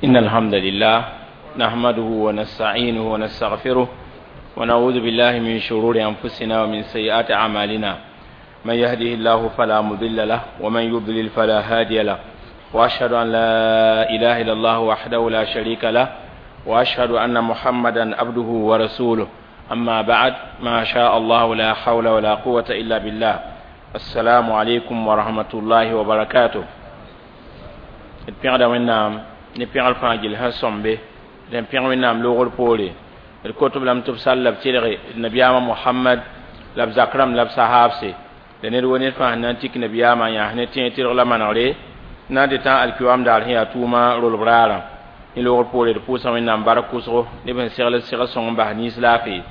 إن الحمد لله نحمده ونستعينه ونستغفره ونعوذ بالله من شرور أنفسنا ومن سيئات أعمالنا. من يهده الله فلا مضل له ومن يضلل فلا هادي له، وأشهد أن لا إله إلا الله وحده لا شريك له، وأشهد أن محمدا عبده ورسوله. أما بعد، ما شاء الله لا حول ولا قوة إلا بالله. السلام عليكم ورحمة الله وبركاته. D pẽgda Wẽnnaam ne pẽgr fãa gill sẽn sõmbe d n pẽg Wẽnnaam loogr poore. D kot b lame tɩ b sall la b tɩlge d nabiyaamã Mohamad la b zak rãmb la b sahaabse la ned wo ned fãa sẽn na n tik nabiyaamã n yãas ne tẽeg tɩlg la manegre na n dɩ tã alkiwaam daar sẽn yaa tʋʋma rolb raarã. Ne loogr poore d pʋʋsa Wẽnnaam bark kʋsgo neb sẽn segl segl sõng n bas nins laafee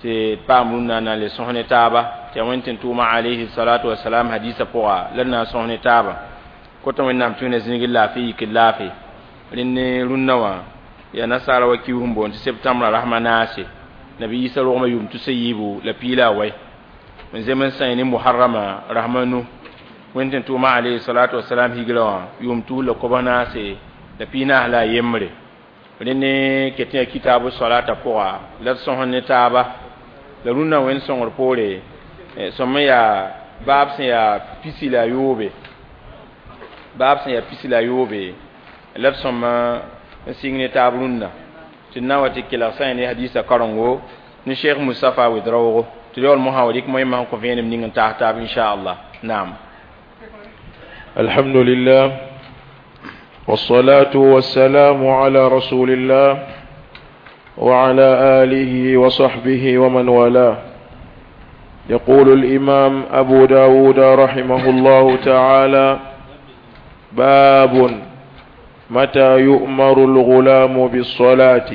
tɩ d paam rũnnã n na n le sõs ne taaba tɩ yaa Wẽnd tɩ n tʋʋma alayhi salatu wasalam hadisa pʋga la d na n sõs ne taaba. Kota Wẽnnaam tɩ wẽna zĩigr laafɩ yikd laafɩ. Rẽnd ne rũnnã wã yaa nasaara wa kius n boond tɩ septembra rasma naase nabi Isa rogmã yʋʋm tusa yiibu la piila a wɛ n zem n sã ne muharrama rasma nu Wẽnd tɩ n tʋʋma alayhi salatu wasalam higrã wã yʋʋm tus la kobs naase la piinaas la a yembre. Rẽnd ne ket yaa kitaabu salata pʋga la d sõs ne taaba la rũnnã Wẽnd sõngr poore sõm n yaa baab sẽn yaa pisi la a yoobe, baab sẽn yaa pisi la a yoobe la d sõm n sɩng ne taab rũnnã tɩ d na wa tɩ kelg sã ne hadisa karengo ne Cheikh Moustapha Ouedraogo tɩ yaool mosã wa rɩk moẽmã sẽn kõ vẽenem ning n taas taab inchallah. Naam. الحمد لله والصلاة والسلام على رسول الله وعلى آله وصحبه ومن والاه. يقول الإمام أبو داود رحمه الله تعالى: باب متى يؤمر الغلام بالصلاة.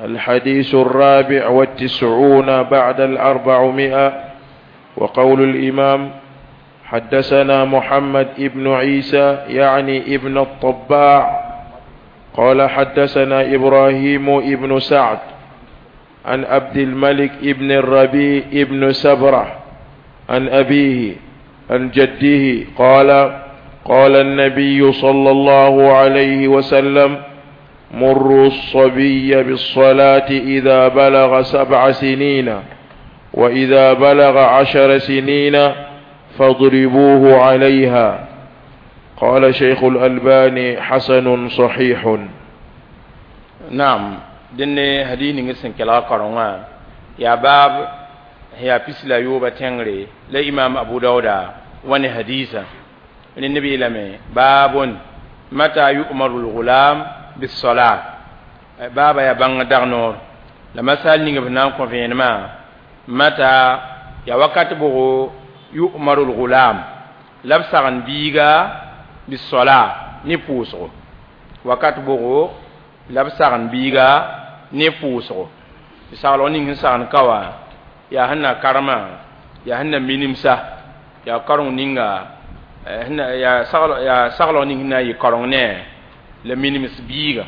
الحديث 494. وقول الإمام: حدثنا محمد ابن عيسى يعني ابن الطباع قال حدثنا إبراهيم ابن سعد عن عبد الملك ابن الربيع ابن سبرة عن أبيه عن جده قال: قال النبي صلى الله عليه وسلم: مروا الصبي بالصلاة إذا بلغ 7 سنين، وإذا بلغ 10 سنين فاضربوه عليها. قال شيخ الألباني: حسن صحيح. نعم، dẽnne hadis ning sẽn kelg karengã yaa baab sẽn yaa pis la yooba tẽngre la imam Abu Dauda wa ne hadisa. Rẽnd b yeelame: baabun mata yu'maru lgulam bissolat. Baaba yaa bãng dag noor la masal ning b na n kõ vẽenemã mata yaa wakat bʋgo yu'maru lgulam la b sagn biiga bissola ne pʋʋsgo, wakat bʋgo la b sagn biiga ne pʋʋsgo. Tɩ saglg ning sẽn sagn ka wã yaa sẽn na karema, yaa sẽn na minimsa, yaa kareng ninga yaa saglg ning sẽn na n yɩ kareng ne la minims biiga.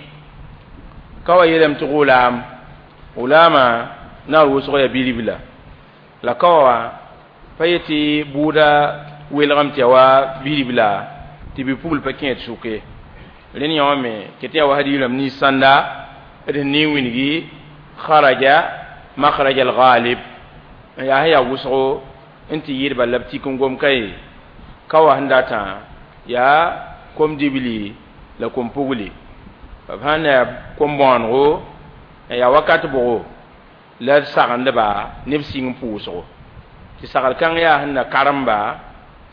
Ka wa yeelame tɩ gʋlaam, gʋlaamã naar wʋsg yaa bilibla la ka wa pa yetɩ bʋʋda welgame tɩ yaa wa bilibla tɩ bi-pugl pa kẽed sʋk ye. Rẽnd yã wã me ket yaa wa hadiis rãmb nins sãnda d sẽn ning wilgi kharaja makhraj al-ghalib n yaa sẽn yaa wʋsgo n tɩ yɩɩdba la b tik n gom ka ye ka wa sẽn datã yaa kom-dibli la kom-pugli b sãn na yaa kom-bõonego n yaa wakat bʋgo la d sagendba ne b sɩng pʋʋsgo tɩ sagl kãng yaa sẽn na karemba,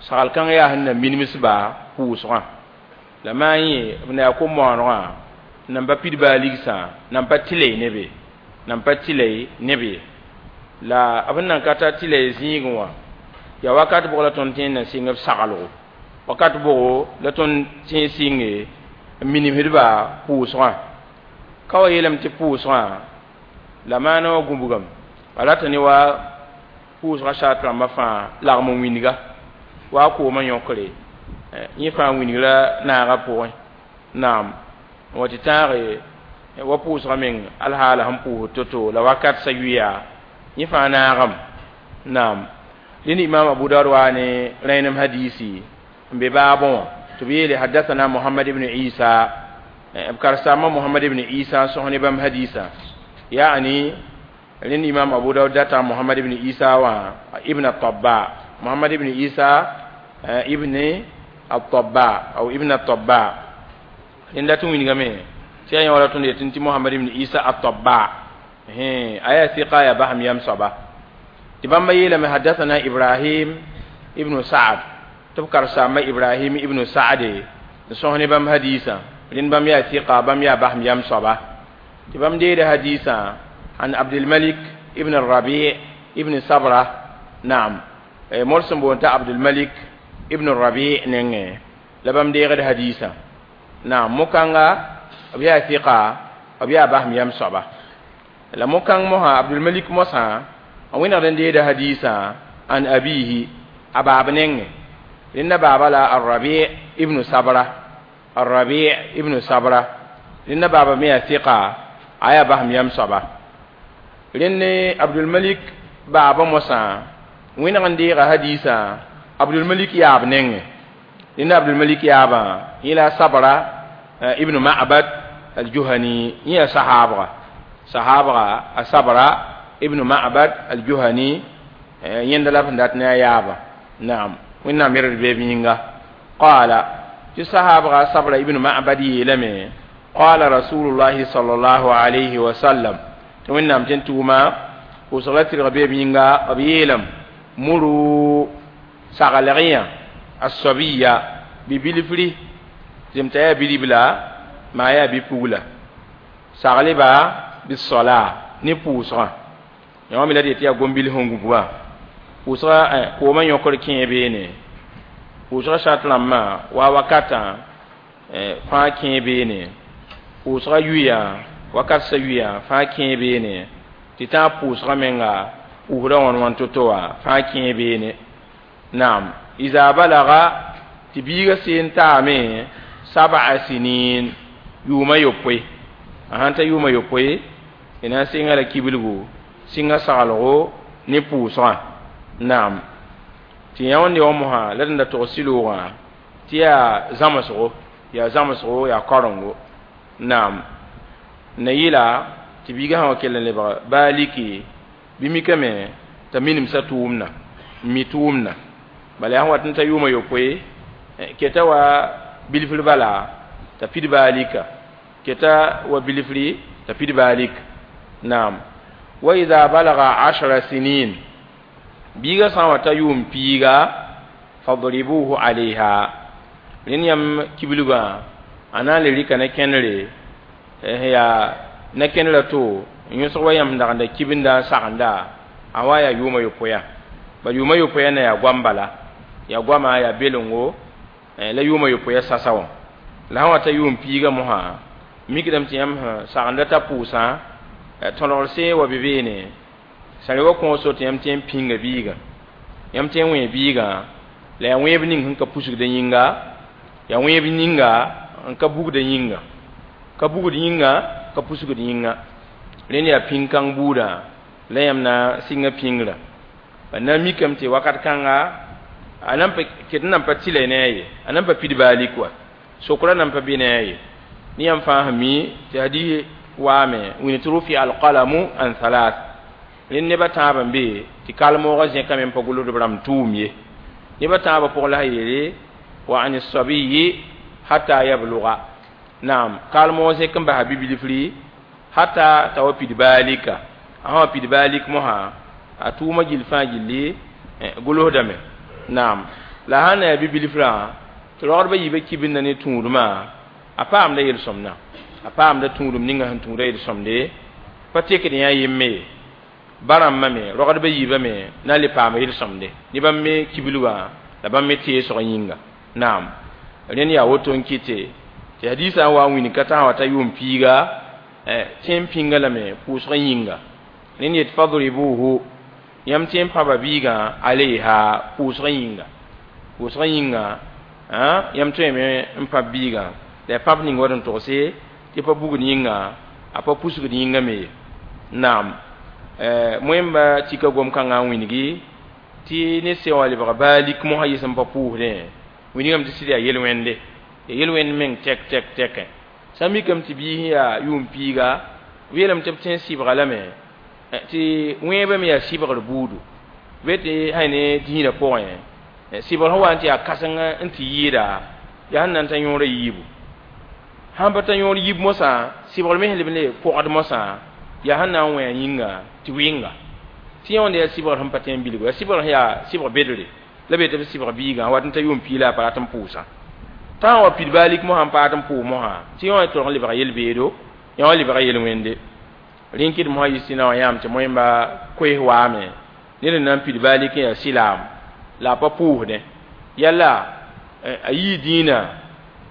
sagl kãng yaa sẽn na minimsba pʋʋsgã la maa yẽ b na yaa kom-bõonegã nan pa pid baa ligsã nan pa tɩ ne be, nan pa tɩ ne be la b nan ka tar tɩ zĩigẽ wã yaa wakat bʋg la tõnd tẽen na sɩng b saglgo, wakat bʋgo la tõnd tẽen sɩnge n minimsdba pʋʋsgã. Ka wa yeelame tɩ pʋʋsgã la maana wã gũbgame a rata ne wa pʋʋsgã saat rãmbã fãa lagm n wĩnga wa koomã yõkre yẽ fãa wĩngra naagã pʋgẽ. Naam, n wa tɩ tãage wa pʋʋsgã meng alhaala sẽn pʋʋsd to-to la wakat sa yʋya yẽ fãa naagame. Naam, rẽnd imam Abu Daud waa ne rẽenem hadisi n be baabẽ wã tɩ b yeele: حدثنا محمد بن عيسى. B karsama Muhammad ibn Isa sõs ne bãmb hadiisã, yaani rẽnd Imam Abu Daud data Muhammad ibn Isa wã ibn Tabba, Muhammad ibn Isa ibn At-Tabba aw ibn At-Tabba. Rẽnd dat n wilgame tɩ yaa yẽ wala tõnd yetɩ tɩ Muhammad ibn Isa At-Tabba a yaa sɩka, yaa basem yam soaba. Tɩ bãmba yeelame: hadathana Ibrahim ibn Sa'd, tɩ b karsaamba Ibrahim ibn Sa'd n sõs ne bãmb hadiisã. Rẽnd bãmb yaa sɩka, bãmb yaa basem yam soaba. Tɩ bãmb deeda hadiisã an Abdulmalik ibn Rabi ibn Sabra. Naam, mor sẽn boond t'a Abdulmalik ibn Rabi nengẽ la bãmb deegd hadiisã. Naam, mo-kãnga b yaa sɩka, b yaa basem yam soaba. La mo-kãng mosã, Abdulmalik mosã, a wẽnegd n deeda hadiisã an abihi, a baab nengẽ. Rẽnda baaba la Arrabi ibn Sabra, Arrabi ibn Sabra. Rẽnda baaba me yaa sɩka, a yaa basem yam soaba. Rẽnd Abdulmalik baaba mosã wẽneg n deega hadiisã Abdulmalik yaab nengẽ. Rẽnda Abdulmalik yaabã yẽ la Sabra ibn Ma'bad al-Juhani, yẽ yaa sahaabga, sahaabga a Sabra ibn Ma'bad al-Juhani. Yẽnda la b sẽn dat ne a yaabã. Naam, Wẽnnaam yerd beeb yĩnga. Qaala, tɩ sahaabga Sabra ibn Ma'bad yeelame: qala Rasulullahi sallallahu alayhi wa sallam, tɩ Wẽnnaam tẽn tʋʋma pʋʋsg la tɩrg beeb yĩnga, b yeelame: muru, saglg-yã as-sabiya, bi-bilfri zem t'a yaa bi-ribla maa yaa bi-pugla, sagleba bis-sola, ne pʋʋsgã. Yã me la d yetɩ yaa gom-bil sẽn gũbgã pʋʋsga koomã yõkr kẽe beene, pʋʋsga sart rãmbã wa wakatã fãa kẽe beene, pʋʋsga yuya wakat sã yuya fãa kẽe beene, tɩ tãag pʋʋsga menga pʋʋsda wãn wãn to-to wã fãa kẽe beene. Naam, iza balaga, tɩ biiga seen taame sab'a sinin, yʋʋma yopoe, a sãn ta yʋʋma yopoe, d na n sɩnga la kibilgu, sɩnga saglgo ne pʋʋsgã. Naam, tɩ yã wẽnde wã mosã la d da tog sɩloogã tɩ yaa zãmsgo, yaa zãmsgo, yaa karengo. Naam, na yɩla tɩ biigã sã wa kell n lebg baa liki bɩ mikame t'a minemsã tʋʋmdã, n mi tʋʋmdã. Bala yaa sẽn wat n ta yʋʋma yopoe, keta wa bilfr bala t'a pid baa lika, keta wa bilfri t'a pid baa lik. Naam, wa idha balaga ashra sinin, biiga sã n wa ta yʋʋm piiga, fadribuhu alayha, rẽnd yãmb kibilgã a na n le rɩka ne kẽnere, yaa ne kẽnerã to n yõsg wa yãmb dagenda kibinda n sagenda a wa yaa yʋʋma yopoeya. Ba yʋʋma yopoeya na yaa goam bala, yaa goama, yaa belengo la yʋʋma yopoeya sasa wã. La sã wa ta yʋʋm piiga mosã, mikdame tɩ yãmb sẽn sagenda t'a pʋʋsã tõlgr see wa be beene sã re wa kõos tɩ yãmb tõe n pĩnga biigã, yãmb tõe n wẽ biigã la yaa wẽeb ning sẽn ka pusgda yĩnga, yaa wẽeb ninga n ka bugda yĩnga, ka bugd yĩnga, ka pusgd yĩnga. Rẽnd yaa pĩn-kãng buudã la yãmb na sɩnga pĩngrã. Ba na n mikame tɩ wakat kãnga a nan pa ket n nan pa tɩla ne a ye, a nan pa pid baalik wa, sokra nan pa be ne a ye. Ne yãmb fãa sẽn mi tɩ hadiis waame wĩna tɩ rufi alqalamu an thalath, rẽnd neba tãabã n be tɩ kalmoogã zẽkame n pa gʋlsd b rãmb tʋʋm ye. Neba tãabã pʋgẽ la sã yeele wa an sabiyi hatta yabluga. Naam, kalmoog zẽk n basa bi-bilfri hatta t'a wa pid baalika. A sã wa pid baalik mosã, a tʋʋmã gill fãa gilli gʋlsdame. Naam, la sã n na yaa bi-bilfrã tɩ rogdbã yiibã kibinda ne tũudmã, a paamda yel-sõmdã, a paamda tũudum ninga sẽn tũuda yel-sõmde, pa tekd yã yemme ye. Ba rãmbã me, rogdbã yiibã me na n le paama yel-sõmde ne bãmb me kibilgã la bãmb me teesg yĩnga. Naam, rẽnd yaa woto n kɩte tɩ hadiisã n wa n wĩn ka tã wa ta yʋʋm piiga tẽn pĩnga lame pʋʋsg yĩnga. Rẽnd yet fadribuhu, yãmb tẽ n pãba biigã alayha, pʋʋsg yĩnga, pʋʋsg yĩnga yãmb tõeme n pãb biigã la ya pãb ning wa d n togse tɩ pa bugd yĩnga, a pa pusgd yĩnga me ye. Naam, moẽmba tika gom-kãngã n wĩngi tɩ ne sẽn wa lebg baalik mosã yɩs n pa pʋʋsdẽ, wĩnigame tɩ sɩd yaa yel-wẽnde, yaa yel-wẽnd meng tɛk tɛk tɛkẽ. Sã n mikame tɩ biis yaa yʋʋm piiga, b yeelame tɩ b tẽ sɩbga lame tɩ wẽebã me yaa sɩbgr buudu. Be tɩ sã ne dĩinã pʋgẽ, sɩbgr sẽn wa n tɩ yaa kãseng n tɩ yɩɩda, yaa sẽn na n ta yõorã yiibu. Sãn pa ta yõor yiib mosã, sɩbgr me sẽn leb n le pɔgd mosã, yaa sẽn na n wẽ a yĩnga tɩ wɩnga. Tɩ yẽ wãnda yaa sɩbgr sẽn pa tẽ n bilgo, yaa sɩbgr sẽn yaa sɩbg bedre la be tɩ b sɩbg biigã wat n ta yʋʋm piig la a pa rat n pʋʋsã. Tã n wa pid baalik mosã n paat n pʋʋs mosã, tɩ yẽ wã tolg n lebga yel-beedo, yẽ wã lebga yel-wẽnde. Rẽn kɩd mosã yis tɩ na wã yãam tɩ moẽmba koees waame, ned n na n pid baalik n yaa sɩlaam la a pa pʋʋsdẽ. Yalla a yii dĩinã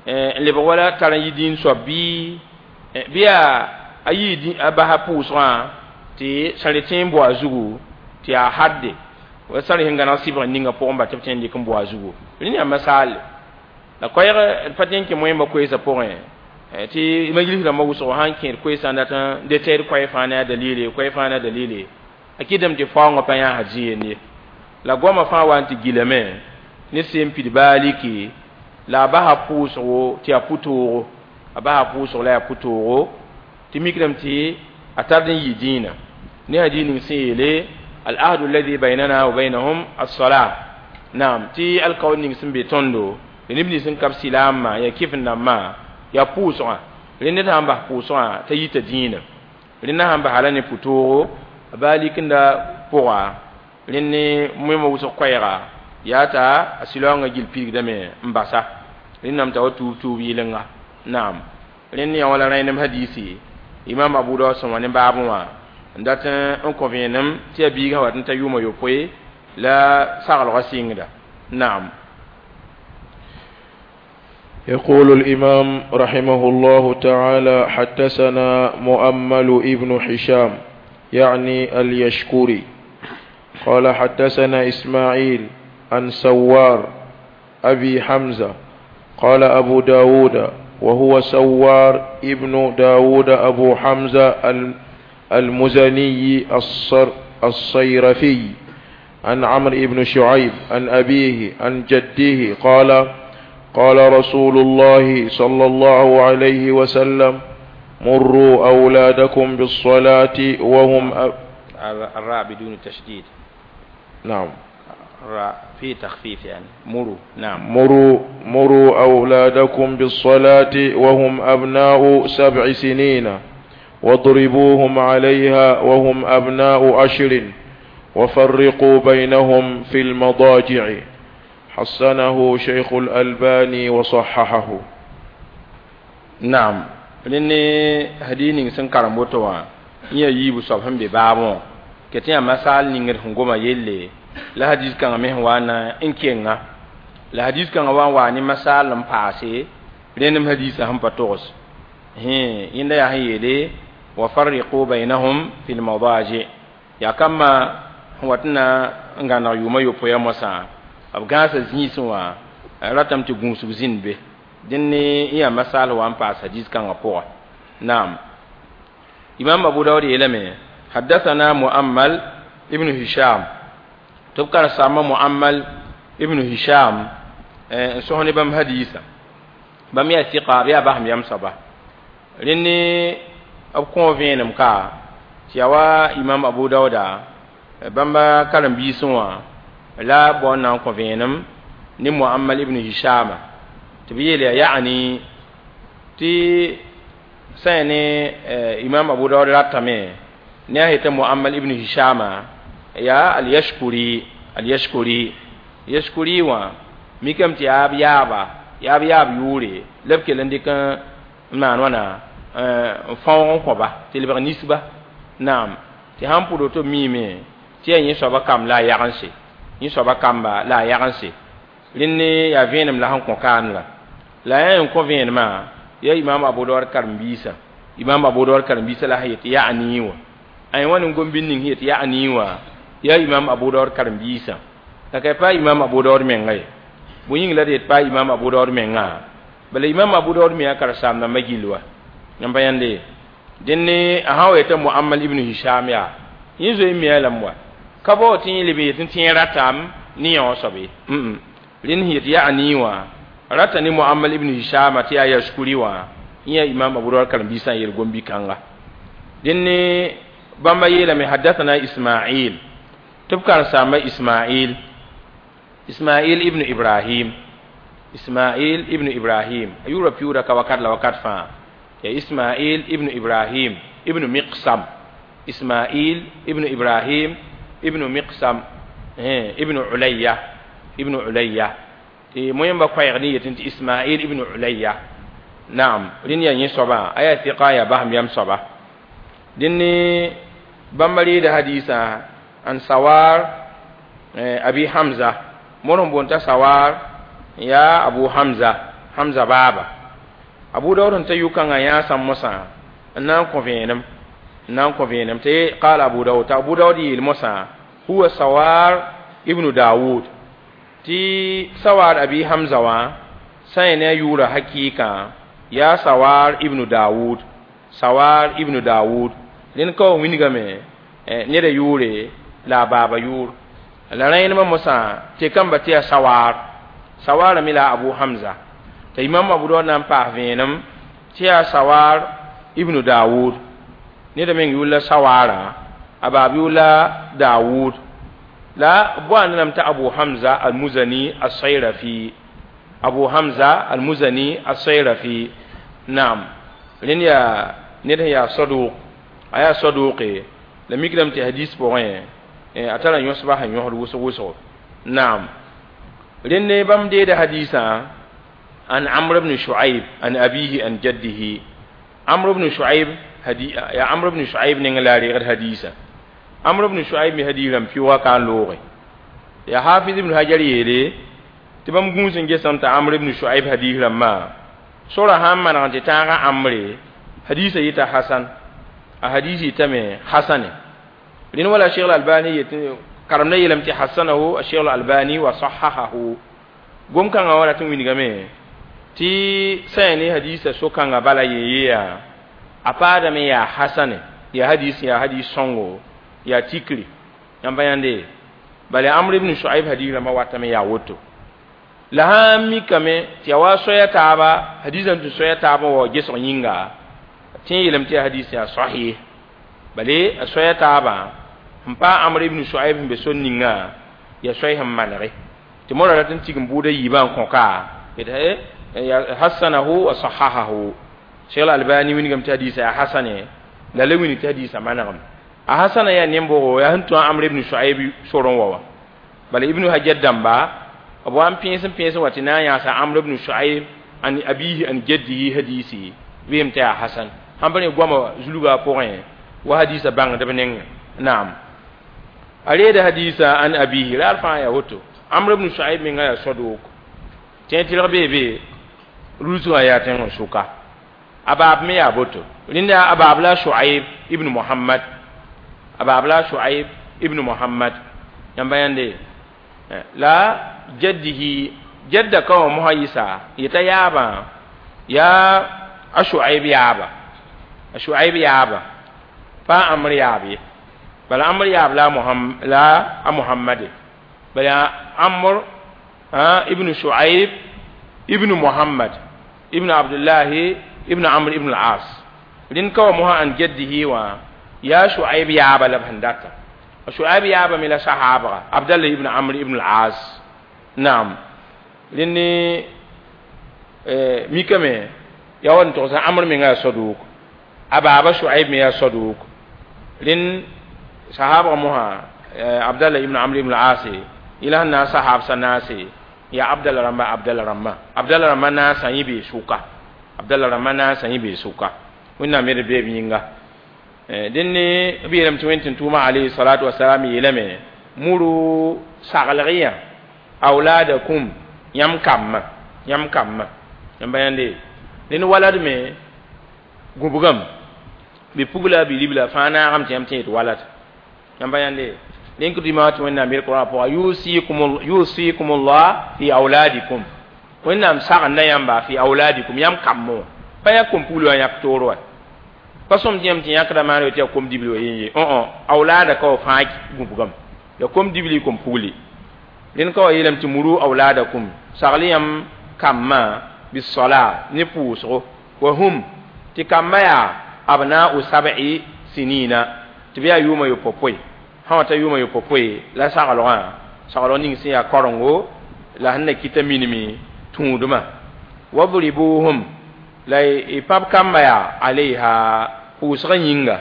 n lebg wala tar n yi dĩin soab bɩ a yii a basa pʋʋsgã tɩ sãre tẽ n bao a zugu tɩ yaa hadde wa sãr sẽn gãneg sɩbg ninga pʋgẽ ba tɩ b tõe n dɩk n bao a zugu. Rẽnd yaa masaale la koɛɛg d pa tẽ n kẽ moẽmba koeesã pʋgẽ tɩ majlis rãmbã wʋsgo sã n kẽed koeesã n dat n detɛɛd koɛɛ fãa ne a dalile, koɛɛ fãa ne a dalile, a kɩtame tɩ faoongã pa yãasa zĩ-yend ye. La goamã fãa wa n tɩ gilame ne sẽn pid baaliki la a basa pʋʋsgo tɩ yaa pʋ-toogo, a basa pʋʋsg la yaa pʋ-toogo tɩ mikdame tɩ a tard n yɩ dĩinã ne hadis ning sẽn yeele al-ahdu alladhi baynana wa baynahum as-salah. Naam, tɩ alkaoor ning sẽn be tõndo neb nins sẽn ka b silaamã yaa kɩf-n-dãmbã yaa pʋʋsgã. Rẽnd ned sã n bas pʋʋsgã t'a yita dĩinã, rẽndã sãn basa la ne pʋ-toogo a baalikenda pʋga, rẽnd ne moẽmã wʋsg koɛɛga yaa t'a a sɩlaoongã gill pidgdame n basa. Rẽnname t'a wa tuub tuub yɩlenga. Naam, rẽnd yã wala rãenem hadiisi imam Abu Daud sẽn wa ne baabẽ wã n dat n kõ vẽenem tɩ yaa biigã wat n ta yʋʋmã yopoe la saglgã sɩngda. Naam. يقول الإمام رحمه الله تعالى: حدثنا مؤمل ابن هشام يعني اليشكري قال حدثنا إسماعيل عن سوار أبي حمزة قال أبو داود وهو سوار ابن داود أبو حمزة المزني الصيرفي عن عمرو بن شعيب عن أبيه عن جده قال: قال رسول الله صلى الله عليه وسلم: مروا أولادكم بالصلاة وهم الراء بدون تشديد. نعم، الراء في تخفيف يعني مروا. نعم، مروا أولادكم بالصلاة وهم أبناء 7 سنين، واضربوهم عليها وهم أبناء 10، وفرقوا بينهم في المضاجع. حسنه شيخ الألباني وصححه. نعم، لأن هدي نين سن كرمبوتوا يا يبو سبحان ببابون كتير مسال نينغر هنغوما يلي لا حديث كان مه وانا إنكينا لا حديث كان وان واني مسال لم باسي لأن حديث هم بتوس هي إن يا هيلي وفرقوا بينهم في المضاجع يا كما واتنا ngana yuma yopo ya mosa b gãasa zĩisẽ wã ratame tɩ gũusg zĩnd be dẽn ne n yaa masal wa n paas hadis kãngã pʋga. Naam, imam Abu Daud yeelame: haddathana Muammal ibn Hisham, tɩ b karen-saambã Muammal ibn Hisham n sõs ne bãmb hadiisã. Bãmb yaa sɩka, b yaa basem yam soaba. Rẽnd ne b kõ vẽenem ka tɩ yaa wa imam Abu Dauda bãmba karen-biisẽ wã la bao n na n kõ vẽenem ne Muammal ibn Hishama tɩ b yeel yaa yaani tɩ sã ne imam Abu Daud ratame ne a yetɩ Muammal ibn Hishama yaa al-Yashkuri, al-Yashkuri Yashkuri wã mikame tɩ yaa b yaaba, yaa b yaab yʋʋre la b kell n dɩk n maan wãna n fãoog n kõba tɩ lebg nisba. Naam, tɩ sãn pʋd woto miime tɩ yaa yẽ soaba kamb la a yagense, yẽ soaba kamba la a yagense. Rẽnd ne yaa vẽenem la sẽn kõ kaan la la yaa n kõ vẽenemã yaa imam Abu Daud karen-biisã, imam Abu Daud karen-biisã la sẽn yet yaa nii wã ay wã ne gom-bind ning sẽn yet yaa nii wã yaa imam Abu Daud karen-biisã. La ka pa imam Abu Daud menga ye, bõe yĩng la d yet pa imam Abu Daud menga? Bala imam Abu Daud me yaa karen-saam-dãmbã gill wa n pa yãnde. Dẽn ne a sã wa yetã Muammal ibn Hisham yaa yẽ zoe n mia lame wa ka bao tɩ yẽ leb n yet n tẽeg ratame ne yã wã soab ye. Rẽnd sẽn yet yaa nii wã rata ne Muammal ibn Hishama tɩ yaa Yashkuri wã Ya Imam Abu Dawud karen-biisã yeel gom-bi-kãnga dẽnd bãmba yeelame hadathana Ismail tɩ b karen-saamba Ismail Ismail ibn Ibrahim Ismail ibn Ibrahim a yʋʋra piuuda ka wakat la wakat fãa ya Ismail ibn Ibrahim ibn Miqsam Ismail ibn Ibrahim ibn Miqsam ibn Ulayya ibn Ulayya tɩ moẽmba koɛɛg ne yetẽ tɩ Ismail ibn Ulayya naam rẽnd yaa yẽ soabã a yaa tɩka yaa basem yam soaba dẽnd ne bãmba reeda hadiisã an Sawar Abi Hamza mor n boond t'a Sawar yaa Abu Hamza Hamza baaba Abu Dawud n ta yʋ-kãngã yãasã mosã n na n kõ vẽenem n na n kõ vẽenem tɩ qaala Abu Dawud t'a Abu Dawud yeel mosã huwa Sawar ibnu Dawud tɩ Sawar Abi Hamza wã sã n ne a yʋʋra hakɩɩkã yaa Sawar ibnu Dawud Sawar ibnu Dawud rẽnd ka wa wingame neda yʋʋre la a baaba yʋʋr la rẽenemã mosã tɩ kamba tɩ yaa Sawar Sawara me la Abu Hamza t'a Imam Abu Dawud na n paas vẽenem tɩ yaa Sawar ibnu Dawud neda meng yʋʋr la Sawara a baab yʋʋr la Dawud la b lame t'a Abu Hamza al-Muzani al-Sayrafi Abu Hamza al-Muzani al-Sayrafi naam rẽnd yaa ned sẽn yaa saduq a yaa saduqe la mikrame tɩ hadis pʋgẽ a tara yõsba sẽn yõsd wʋsg wʋsgo naam rẽnd ne bãmb deeda hadiisã an Amr ibn Shu'aib an abihi an jaddihi Amr ibn Shu'aib ya Amr ibn Shu'aib neng la reegd hadiisã Amr ibn Shu'aib me hadiis rãmb pɩʋʋga ka n looge ya Hafiz ibn Hajar yeele tɩ bãmb gũus n gesame t'a Amr ibn Shu'aib hadiis rãmbã sora sãn maneg tɩ tãaga Amre hadiisã yɩta hasan a hadiis yɩtame hasane rẽnd wala Cheikh Albani yet karemda yeelame tɩ hasanahu a Cheikh Albani wa sahahahu gom-kãngã wã rat n wingame tɩ sã yaa ne hadiisã so-kãngã bala yee yaa a paadame yaa hasane yaa hadiis yaa hadiis sõngo yaa tikri yãmb pa yãnde bala Amr ibn Shu'aib hadiis rãmbã watame yaa woto la sãn mikame tɩ yaa wa soaya taaba hadiisã tɩ soaya taabã wa gesg yĩnga tɩ n yeelame tɩ yaa hadiis yaa sahih bale a soaya taabã n pa Amr ibn Shu'aib sẽn be sor ninga yaa soay sẽn manege tɩ mora rat n tigim buudã yiibã n kõ ka hasanahu wa sahahahu Cheikh Albani wingame tɩ hadiisã yaa hasane la la wing tɩ hadiisã manegem a hasana yaa nembogo yaa sẽn tũ a Amr ibn Shu'aib sorẽ wa wã bala Ibn Hajar dãmba b wa n pẽes n pẽes n wa tɩ na n yãasa Amr ibn Shu'aib an abihi an jaddihi hadiisi weem tɩ yaa hasan sãn pa ne goama zulga pʋgẽ wa hadiisã bãngdb nengẽ naam a reeda hadiisã an abihi raar fãa yaa woto Amr ibn Shu'aib menga yaa saduk tẽ tɩlg bee be rulsgã yaa tẽng n sʋka a baab me yaa boto rẽnda a baab la Shu'aib ibn Muhammad a baab la Shu'aib ibn Muhammad yãmba yãnde la jaddihi jadda ka wã mosã yɩsa yeta yaabã yaa a Shu'aib yaaba a Shu'aib yaaba pa Amr yaab ye bala Amr yaab la Muhammad la a Muhammade bala Amr ibn Shu'aib ibn Muhammad ibn Abdullah ibn Amr ibn al-As rẽnd ka wã mosã an jaddihi wã yaa Shu'aib yaaba la b sẽn data Shu'aib yaaba me la sahaabga Abdallah ibn Amr ibn al-As naam rẽnd ne mikame yaa wa n togsa Amr menga yaa saduk a baaba Shu'aib me yaa saduk rẽnd sahaabga mosã Abdallah ibn Amr ibn al-As yẽla sẽn na n sahaabsã naase yaa Abdallah rãmba Abdallah rãmbã Abdallah rãmbã naasã yẽ bee sʋka Abdallah rãmbã naasã yẽ bee sʋka Wẽnnaam me d beeb yĩnga dẽnd ne b yeelame tɩ wẽnd tɩ tʋʋma alayhi salatu wasalam yeelame muru saglg yã awladakum yãmb kambã yãmb kambã yãmba yãnde dẽnd walad me gũbgame bɩ pugla bɩ ribla fãa naagame tɩ yãmb tẽ yet walad yãmba yãnde dẽn kɩ dĩmã tɩ Wẽnnaam yel Kʋrã pʋga yusikumullah fi auladikum Wẽnnaam sagenda yãmba fi auladikum yãmb kambẽ wã pa yaa kom-pugl wã yãk toor wa pa sõm tɩ yãmb tɩ yãkda maan tɩ yaa kom-dibli wa yen ye awlaada ka wa fãa gũbgame ya kom-dibli kom-pugli rẽnd ka wa yeelame tɩ muru auladakum sagl yãmb kambã bisola ne pʋʋsgo Wa hum tɩ kambã yaa abna'u sab'i sinina, tɩ b yaa yʋʋmã yopopoe, sã wa ta yʋʋmã yopopoe la saglgã, saglg ning sẽn yaa karengo la sẽn na kɩta minime tũudmã. Wadribuhum la y pãb kambã yaa alayha pʋʋsgã yĩnga.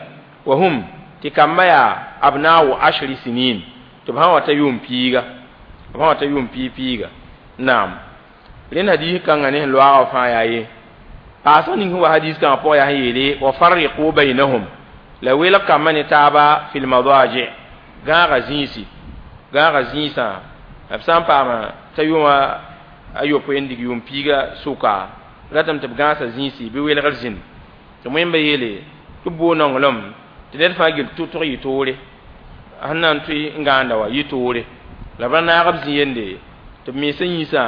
Wa hum tɩ kambã yaa abna'u ashri sinin, tɩ b sã wa ta yʋʋm piiga, b sã wa ta yʋʋm piig piiga. Naam, rẽnd hadis kãngã ne sẽn loaagã fãa yaa ye paasg ning sẽn wa hadis kãngã pʋgã yaa sẽn yeele wa farriqu baynahum, la welg kambã ne taaba fil madaji, gãaga zĩisi, gãaga zĩisã. B sã n paama t'a yʋʋma a yopoe n dig yʋʋm piiga sʋka, ratame tɩ b gãasa zĩisi bɩ welgr zĩnd. Tɩ wẽmba yeele tɩ b boog nonglem tɩ ned fãa gil tʋtg yɩ toore, sẽn na n tʋɩ n gãanda wa yɩ toore, la b ra naag b zĩ yende tɩ b mensã yĩnsã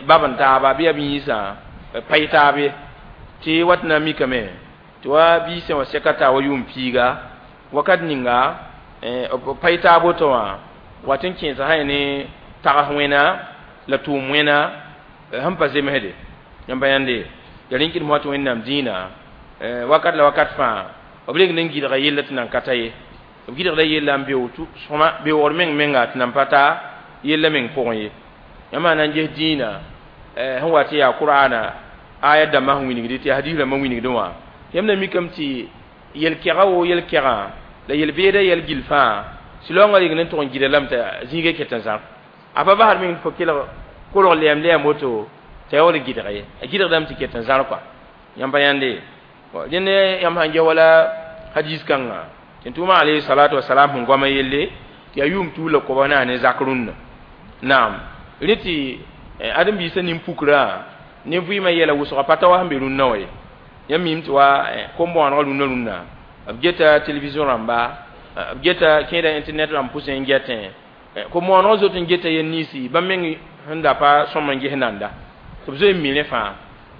bab n taaba bɩ yaa b yĩnsã pa yɩ taab ye. Tɩ wat na n mikame tɩ wa biisã wã sɛka taa wa yʋʋm piiga wakat ninga b pa yɩ taab woto wã wat n kẽesa sã ne tags wẽna la tʋʋm wẽna sẽn pa zemsde. Yãmb pa yãnde ya rẽn kɩdem tɩ Wẽnnaam dĩinã wakat la wakat fãa b reng n gɩdga yella tɩ nan ka ta ye, b gɩdgda yella n beoog sõma beoogr meng menga tɩ nan pa ta yella meng pʋgẽ ye. Yãmb na n ges dĩinã sẽn wa tɩ yaa Qur'ana aya dãmbã sẽn wilgd tɩ hadis rãmbã wilgdẽ wã, yãmb na mikame tɩ yel-kɛga woo yel-kɛgã la yel-beedã yɛl gill fãa sɩlaoongã reng n tʋg n gɩda lame t'a zĩigã ket n zãr a pa basd meng tɩ fo kelg kolg lɛɛm lɛɛm woto t'a yaool gɩdg ye, a gɩdgdame tɩ ket n zãr kɔa. Yãmb pa yãnde dẽnd yãmb sãn ges wala hadis kãnga tɩ tʋʋmã alayhi salatu wasalam sẽn goama yelle tɩ yaa yʋʋm tuug la koba na ne zak rũnnã. Naam, rẽ tɩ ãdem-biisã nin-pukrã ne vɩɩmã yɛla wʋsga pa ta wa sẽn be rũnnã wã ye. Yãmb mim tɩ wa kom-bõonegã rũnnã rũnnã b geta télévision rãmba, b geta kẽeda internet rãmb pʋsẽ n gɛtẽ kom-bõonegã zot n geta yel ninsi bãmb meng sẽn da pa sõm n ges nanda tɩ b zoe n mi rẽ fãa.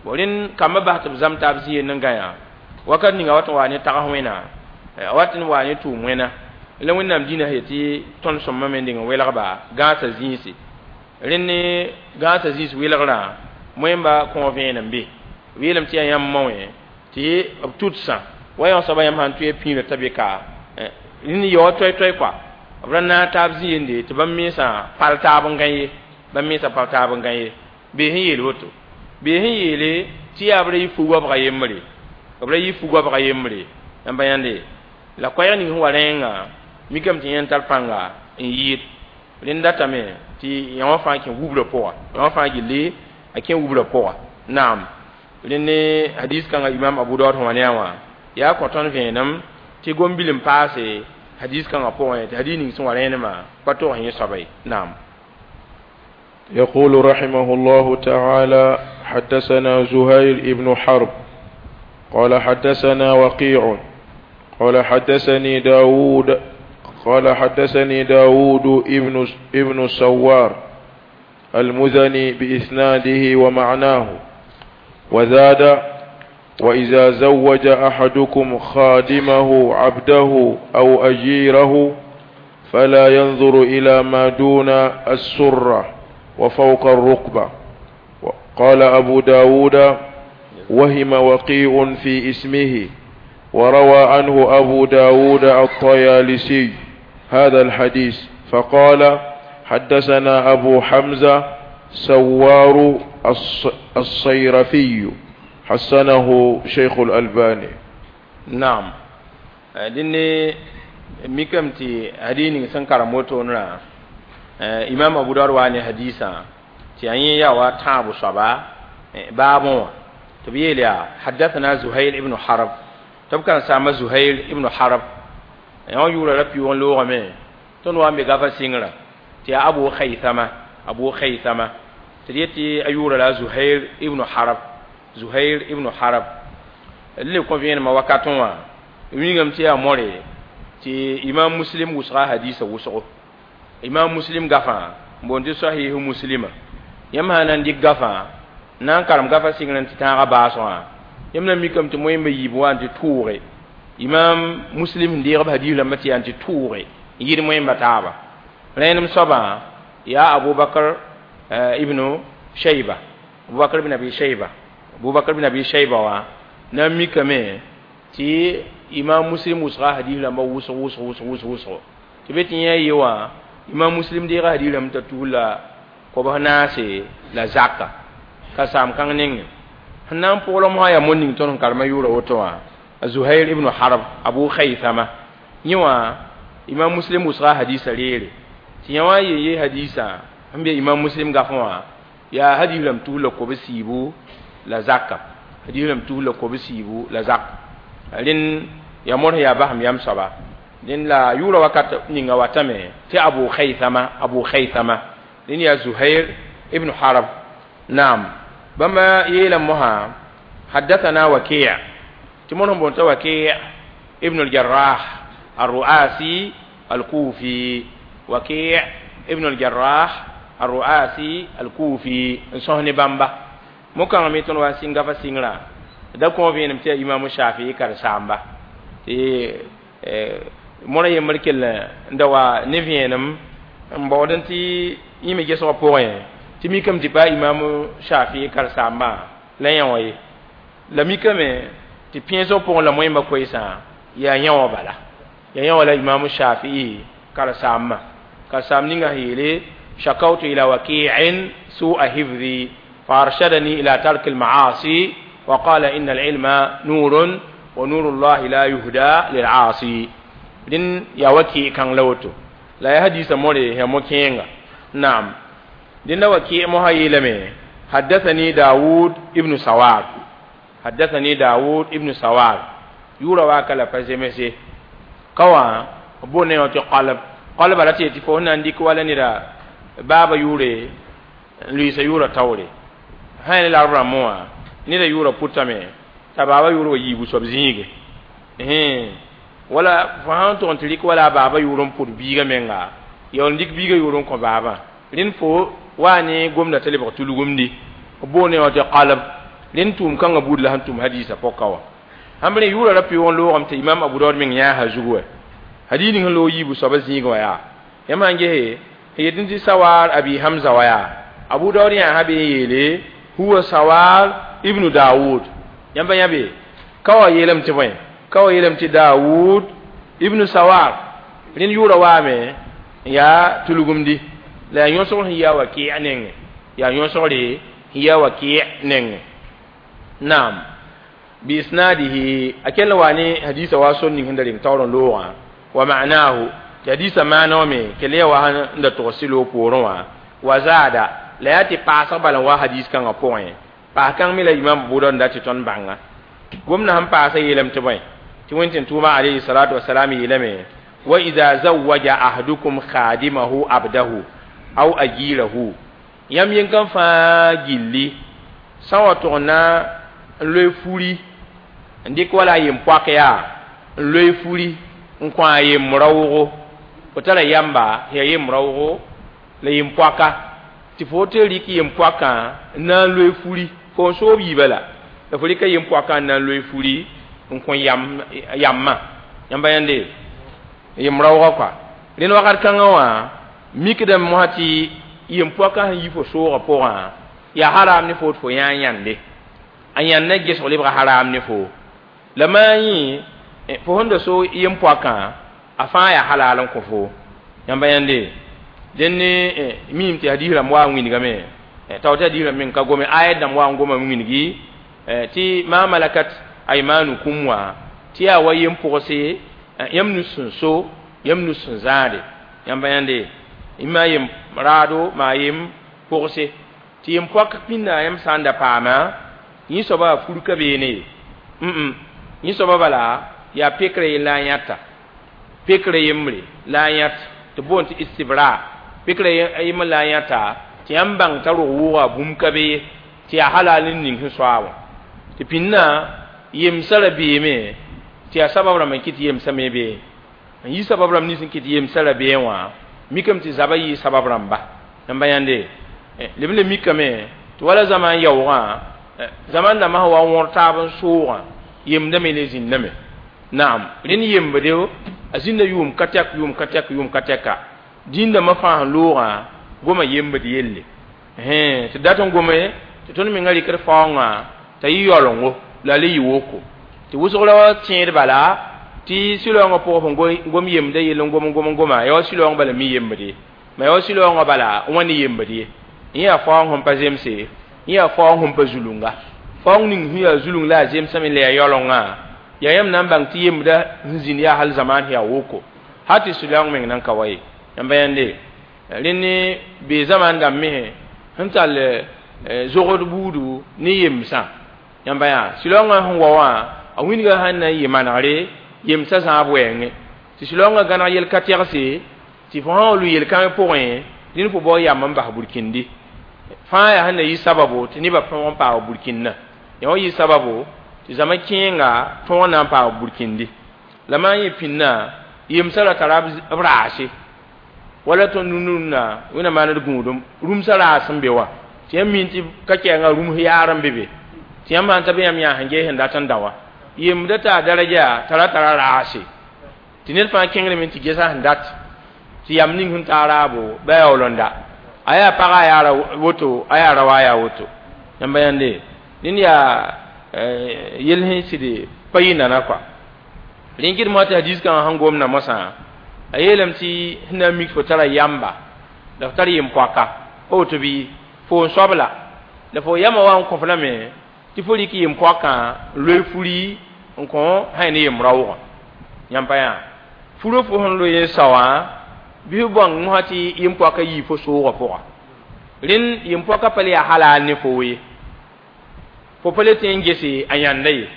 Bon rẽnd kambã bas tɩ b zam taab zĩ yell n gãyã wakat ninga wat n waa ne tags wẽna, a wat n waa ne tʋʋm wẽna la Wẽnnaam dĩnã sẽn yetɩ tõnd sõmame me n deng n welgba gãasã zĩisi. Rẽnd ne gãasã zĩis welgrã moẽmba kõ vẽenem be b yeelame tɩ yaa yãmb mao wẽ tɩ b tʋdsã wa yã soaba yãmb sãn tʋ pĩirã t'a be ka rẽnd yaoog toɛ-toɛ kɔa b ra naag taab zĩ yende tɩ bãmb mensã pal taab n gã ye, bãmb mensã pal taab n gã ye. Bee sẽn yeel woto, bee sẽn yeele tɩ yaa b ra yɩ fu-goabga yembre, b ra yɩ fu-goabga yembre. Yãmb pa yãnde la koɛɛg ning sẽn wa rẽengã mikame tɩ yẽnd tar pãnga n yɩɩd rẽnd datame tɩ yã wã fãa kẽ wubrã pʋga, yã wã fãa gilli a kẽ wubrã pʋga. Naam, rẽnd ne hadis kãngã imam Abu Daud sẽn wa ne a wã yaa kõ tõnd vẽenem tɩ gom-bil n paase hadis kãngã pʋgẽ tɩ hadis ning sẽn wa rẽenemã pa tog yẽ soaba ye. Naam. يقول رحمه الله تعالى: حدثنا زهير ابن حرب قال حدثنا وكيع قال حدثني داود قال حدثني داود ابن سوار المزني بإسناده ومعناه، وزاد: وإذا زوج أحدكم خادمه عبده أو أجيره فلا ينظر إلى ما دون السرة وفوق الركبة. قال أبو داود: وهم وكيع في اسمه، وروى عنه أبو داود الطيالسي هذا الحديث فقال: حدثنا أبو حمزة سوار الصيرفي، حسنه شيخ الألباني. نعم، dẽnne mikame tɩ hadis ning sẽn karem wotoonrã imam Abu Daud waa ne hadisã tɩ yaa yẽ yaa wa tãabo soaba baabẽ wã tɩ b yeel yaa حدثنا زهير ibn Harb, tɩ b karen-saamba Zuhair ibn Harb yã wã yʋʋra ra pɩʋʋg n loogame tõnd wa n be gafa sɩngrã tɩ yaa Abu Khaysama, Abu Khaysama tɩ d yetɩ a yʋʋra la Zuhair ibn Harb, Zuhair ibn Harb le kõ vẽenemã wakatẽ wã wingame tɩ yaa more tɩ imam Muslim wʋsga hadisa wʋsgo. Imam Muslim gafã n boond tɩ Sahihu Muslima, yãmb sã na n dɩk gafã na n karem gafa sɩngr n tɩ tãagã baasgã, yãmb na mikame tɩ moẽmba yiib wa n tɩ tʋʋge imam Muslim sẽn deeg b hadis rãmbã tɩ yaa n tɩ tʋʋge n yɩd moẽmba taaba. Rẽenem soabã yaa Abubakr ibnu Shayba, Abubakr ibn Abi Shayba. Abubakar bin Abi Shayba wa na mikame tɩ imam Muslim wʋsga hadis rãmba wʋsg wʋsg wʋsg wʋsg wʋsg tɩ be tɩ yẽ ye wã imam Muslim deega hadis rãmb t'a tus la kobs naase la zaka ka saam kãng nengẽ sẽn na n pʋglem mosã yaa mo ning tõnd sẽn karema yʋʋra woto wã Zuhair ibn Harb Abu Khaythama yẽ wã imam Muslim wʋsga hadisa reere tɩ yã wã n yen ye hadisã sẽn be imam Muslim gafẽ wã yaa hadis rãmb tus la kobs siibu la zaka hadis rãmb tus la kobs siibu la zaka rẽnd yaa mõr sẽn yaa basem yam soaba rẽnd la yʋʋra wakat ninga watame tɩ Abu Khaythama rẽnd yaa Zuhair ibn Harb naam bãmba yeelame mosã haddathana Waki' tɩ mõr sẽn boond t'a Waki' ibn al-Jarrah al-Ru'asi al-Kufi Waki' ibn al-Jarrah al-Ru'asi al-Kufi n sõs ne bãmba mo-kãngã me tõnd wa n sɩng gafa sɩngrã da kõ vẽenem tɩ yaa imam Shafi'i karen-saamba tɩ mõrã yembr kell n da wa ne vẽenem n baood tɩ yẽ me gesgã pʋgẽ tɩ mikame tɩ pa imam Shafi'i karen-saambã la yã wã ye la mikame tɩ pẽesg pʋgẽ la moẽmba koeesã yaa yã wã bala yaa yã wã la imam Shafi'i karen-saambã karen-saamb ninga sẽn yeele shakawtu ila waki'in su'a hifzi فأرشدني إلى ترك المعاصي وقال إن العلم نور ونور الله لا يهدى للعاصي دين يا وكي كان لوتو لا يهدي سموري يا موكينغا نعم دين وكي مهيلمي حدثني داود ابن سوار حدثني داود ابن سوار يورا واكلا فزمسي كوا بوني وتي قلب قلب لا تي فو نانديك ولا نيرا بابا يوري لويسا يورا تاوري sã la rãmb wã neda yʋʋra pʋtame t'a baaba yʋʋr wa yiibu soab zĩige wala fo sãn tʋg n tɩ rɩk wala a baaba yʋʋr n pʋd biigã menga ya n dɩk biigã yʋʋr n kõ baabã rẽnd fo waa ne gomda t'a lebg tulgumdi b boone wã tɩ qalb rẽnd tʋʋm kãngã buud la sẽn tʋm hadiisã pɔka wã sãmb rẽ yʋʋra ra pɩʋg n loogame tɩ imam Abu Daud meng yãasa zugu wɛ hadiis ning sẽn loog yiibu soabã zĩigã wã yaa yãmb sãn gese sẽn yet tɩ Sawar Abi Hamza wã yaa Abu Daud yãasa be n yeele huwa Sawar ibn Daud yãmba yãbe ka wa yeelame tɩ bõe ka wa yeelame tɩ Daud ibn Sawar rẽnd yʋʋra waame n yaa tulgumdi la yaa yõsgr sẽn yaa Waki' nengẽ yaa yõsgre sẽn yaa Waki' nengẽ naam biisnadihi a kell wa ne hadisa wa sor ning sẽn da reng taoor n loogã wa ma'nahu tɩ hadisa maana wã me kell yaa wa sẽn da tog sɩ-loog poorẽ wã wa zaada la yaa tɩ paasg bala n wa hadis kãngã pʋgẽ paas kãng me la imam Abu Daud n da tɩ tõnd bãnga gomdã sẽn paasa yeelame tɩ bõe tɩ wẽn tʋʋma alayhi salatu wasalam yeelame wa idha zawaja ahadukum khadimahu abdahu aw ajirahu yãmb yẽn fãa gilli sã n wa tʋg n na n loe furi n dɩk wala a yem-poak yaa n loe furi n kõ a yem-raoogo fo tara yamba yaa yem-raoogo la yem-poaka tɩ fo tɩ rɩk yem-poakã n na n loe furi fo n soob yiibã la la fo rɩka yem-poakã n na n loe furi n kõ yambã yãmba yãnde yem-raoogã kɔa rẽnd wakat kãngã wã mikdame mosã tɩ yem-poakã sẽn yi fo soogã pʋgã yaa haram ne fo tɩ fo yã yãnde a yãndã gesg lebga haram ne fo la maa yẽ fo sẽn da so yem-poakã a fãa yaa halal n kõ fo yãmba yãnde dẽnd ne miime tɩ hadiis rãmb wa n wĩnigame tao tɩ hadiis rãmb meng ka gome ayat dãmb wa n goma n wĩnigi tɩ ma malakat aymanukum wã tɩ yaa wa yem-pʋgse yãmb nus sẽn so yãmb nus sẽn zãade yãmba yãnde maa yem raado maa yem pʋgse tɩ yem-poak pĩnda yãmb sã n da paama yẽ soaba fur ka beene ye yẽ soaba bala yaa pekrã yell la a yãta pekrã yembre la a yãt tɩ boond tɩ istibra pekrã yembr la a yãta tɩ yãmb bãng t'a rog wʋʋga bũmb ka be ye tɩ yaa halal n ning sẽn soa wã tɩ pĩnnã yemsã ra beeme tɩ yaa sabab rãmb n kɩt yemsã me bee n yi sabab rãmb nins n kɩt yemsã ra bee wã mikame tɩ zabã yɩ sabab rãmba yãmba yãnde leb n le mikame tɩ wala zamaan yaoogã zaman dãmbã sẽn wa n wõr taab n soogã yemdame le zĩndame naam rẽnd yembde a zĩnda yʋʋm ka tɛk yʋʋm ka tɛk yʋʋm ka tɛka dĩn-dãmbã fãa sẽn loogã goma yembd yelle tɩ dat n gome tɩ tõnd menga rɩkd faoongã t'a yɩ yaolengo la le yɩ woko tɩ wʋsg ra tẽed bala tɩ sɩ-raoongã pʋgã fo gom yemda yell n gom n gom n goma ya wa sɩ-raoong bala mi yembd ye ma ya wa sɩ-raoongã bala n wa ne yembd ye yẽ yaa faoong sẽn pa zemse yẽ yaa faoong sẽn pa zulunga faoong ning sẽn yaa zulung la a zemsame la yaa yaolengã yaa yãmb na n bãng tɩ yembda sẽn zĩnd yaa hal zamaan yaa woko hal tɩ sɩ-raoong meng nan ka wa ye yãmba yãnde rẽnd bee zamaan dãmb me sẽn tall zogd buudu ne yemsã yãmba yaa sɩ-raoongã sẽn wa wã a wĩnga sãn na n yɩ manegre yemsã zãab wɛɛngẽ tɩ sɩ-raoongã gãneg yel ka tɛgse tɩ fo sã n lʋ yel-kãng pʋgẽ rẽnd fo bao yam n bas burkindi fãa yaa sẽn na yɩ sababo tɩ nebã tõog n paag burkindã yaa wa yɩ sababo tɩ zãma kẽenga tõog na n paag burkindi la maan yẽ pĩnnã yemsã ra tara b raase wala tõnd rũndũnna wẽnna maand gũudum rũmsã raas n be wã tɩ yãmb min tɩ ka kɛɛngã rũms yaar n be be tɩ yãmb sãn ta be yãmb yã sẽn ges sẽn dat n da wã yemda t'a daraja tara tara raase tɩ ned fãa kẽngrame tɩ gesa sẽn dat tɩ yam ning sẽn taa raabo ba yaool n da a yaa pagã a yaara woto a yaa rawa a yaa woto yãmba yãnde ned yaa yel sẽn sɩd pa yɩ nana kɔa rẽn kɩd mosã tɩ hadis kãngã sẽn gomda mosã a yeelame tɩ sẽn na n mik fo tara yamba la fo tar yem-poaka pa woto bɩ fo n soabla la fo yama wa n kõf lame tɩ fo rɩk yem-poakã n loe furi n kõ sã ne yem-raoogã yãmb pa yaa furo fo sẽn loe n sao wã bɩ f bãng mosã tɩ yem-poakã yii fo soogã pʋga rẽnd yem-poakã pa le yaa halal ne fo ye fo pa le tẽ n gese a yãnda ye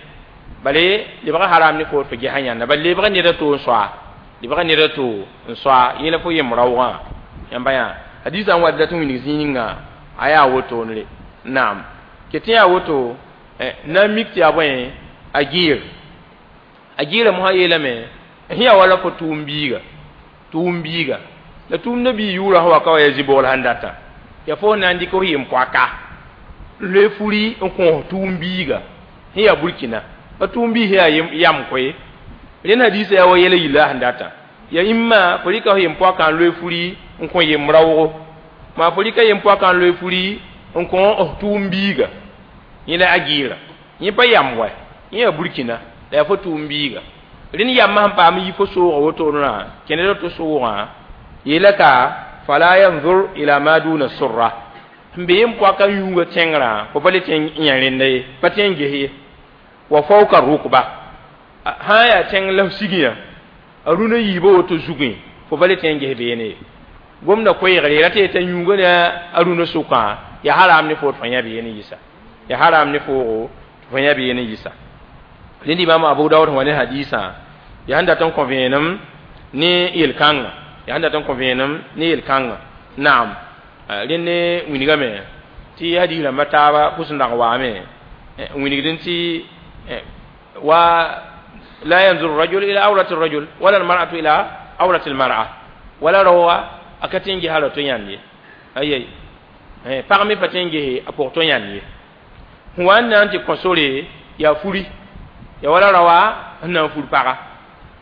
bale lebga haram ne fo fo ges a yãnda bal lebga ned a to n soa lebga ned a to n soa yẽ la fo yem-raoogã yãmba yaa hadisã n wa dat n wilg zĩig ninga a yaa wotoonre naam ket yaa woto na n mik tɩ yaa bõe a gɩɩr a gɩɩra mosã yeelame sẽn yaa wala fo tʋʋm biiga tʋʋm biiga la tʋʋmdã bii yʋʋrã sẽn wa ka wa yaa zĩ-bogl sẽn datã yaa fo na n dɩk f yem-poaka n loe furi n kõos tʋʋm biiga sẽn yaa burkina pa tʋʋm biis yaa yam koe rẽnd hadiisã yaa wa yɛla yilla sẽn datã ya imma fo rɩka f yem-poakã n loe furi n kõ yem-raoogo maa fo rɩka yem-poakã n loe furi n kõ f tʋʋm biiga yẽ la a gɩɩra yẽ pa yam wa yẽ yaa burkina la yaa fo tʋʋm biiga rẽnd yambã sẽn paam n yi fo soogã wotoonã kẽneda to soogã yeela ka fala yanzur ila ma duna surra sẽn be yem-poakã yũugã tẽngrã fo pa le tẽ n yã rẽnda ye pa tẽ n ges ye wa fawka rukba sã n yaa tẽng la f sigẽ a rũnã yiibã woto zugẽ fo pa le tẽ n ges beene ye gomda koeegre ra tɩ yeta yũugã ne a rũnã sʋkã yaa haram ne fo tɩ fo yã beene yɩsa yaa haram ne foogo tɩ fo yã beene yɩsa rẽnd imam Abu Dawud sẽn wa ne hadisã yaa sẽn dat n kõ vẽenem ne yel-kãngã yaa sẽn dat n kõ vẽenem ne yel-kãngã naam rẽnd ne wilgame tɩ hadis rãmbã taaba pʋs n dag waame n wilgdẽ tɩ wa la yanzuru rajul ila awrati rajul wala almar'atu ila awrati almar'a wala rawa a ka tẽ n ges a ra to yãnd ye ayai pag me pa tẽ n gese a pʋg to yãnd ye sẽn wa n na n tɩ kõ sore yaa furi ya wala rawa sẽn na n fur paga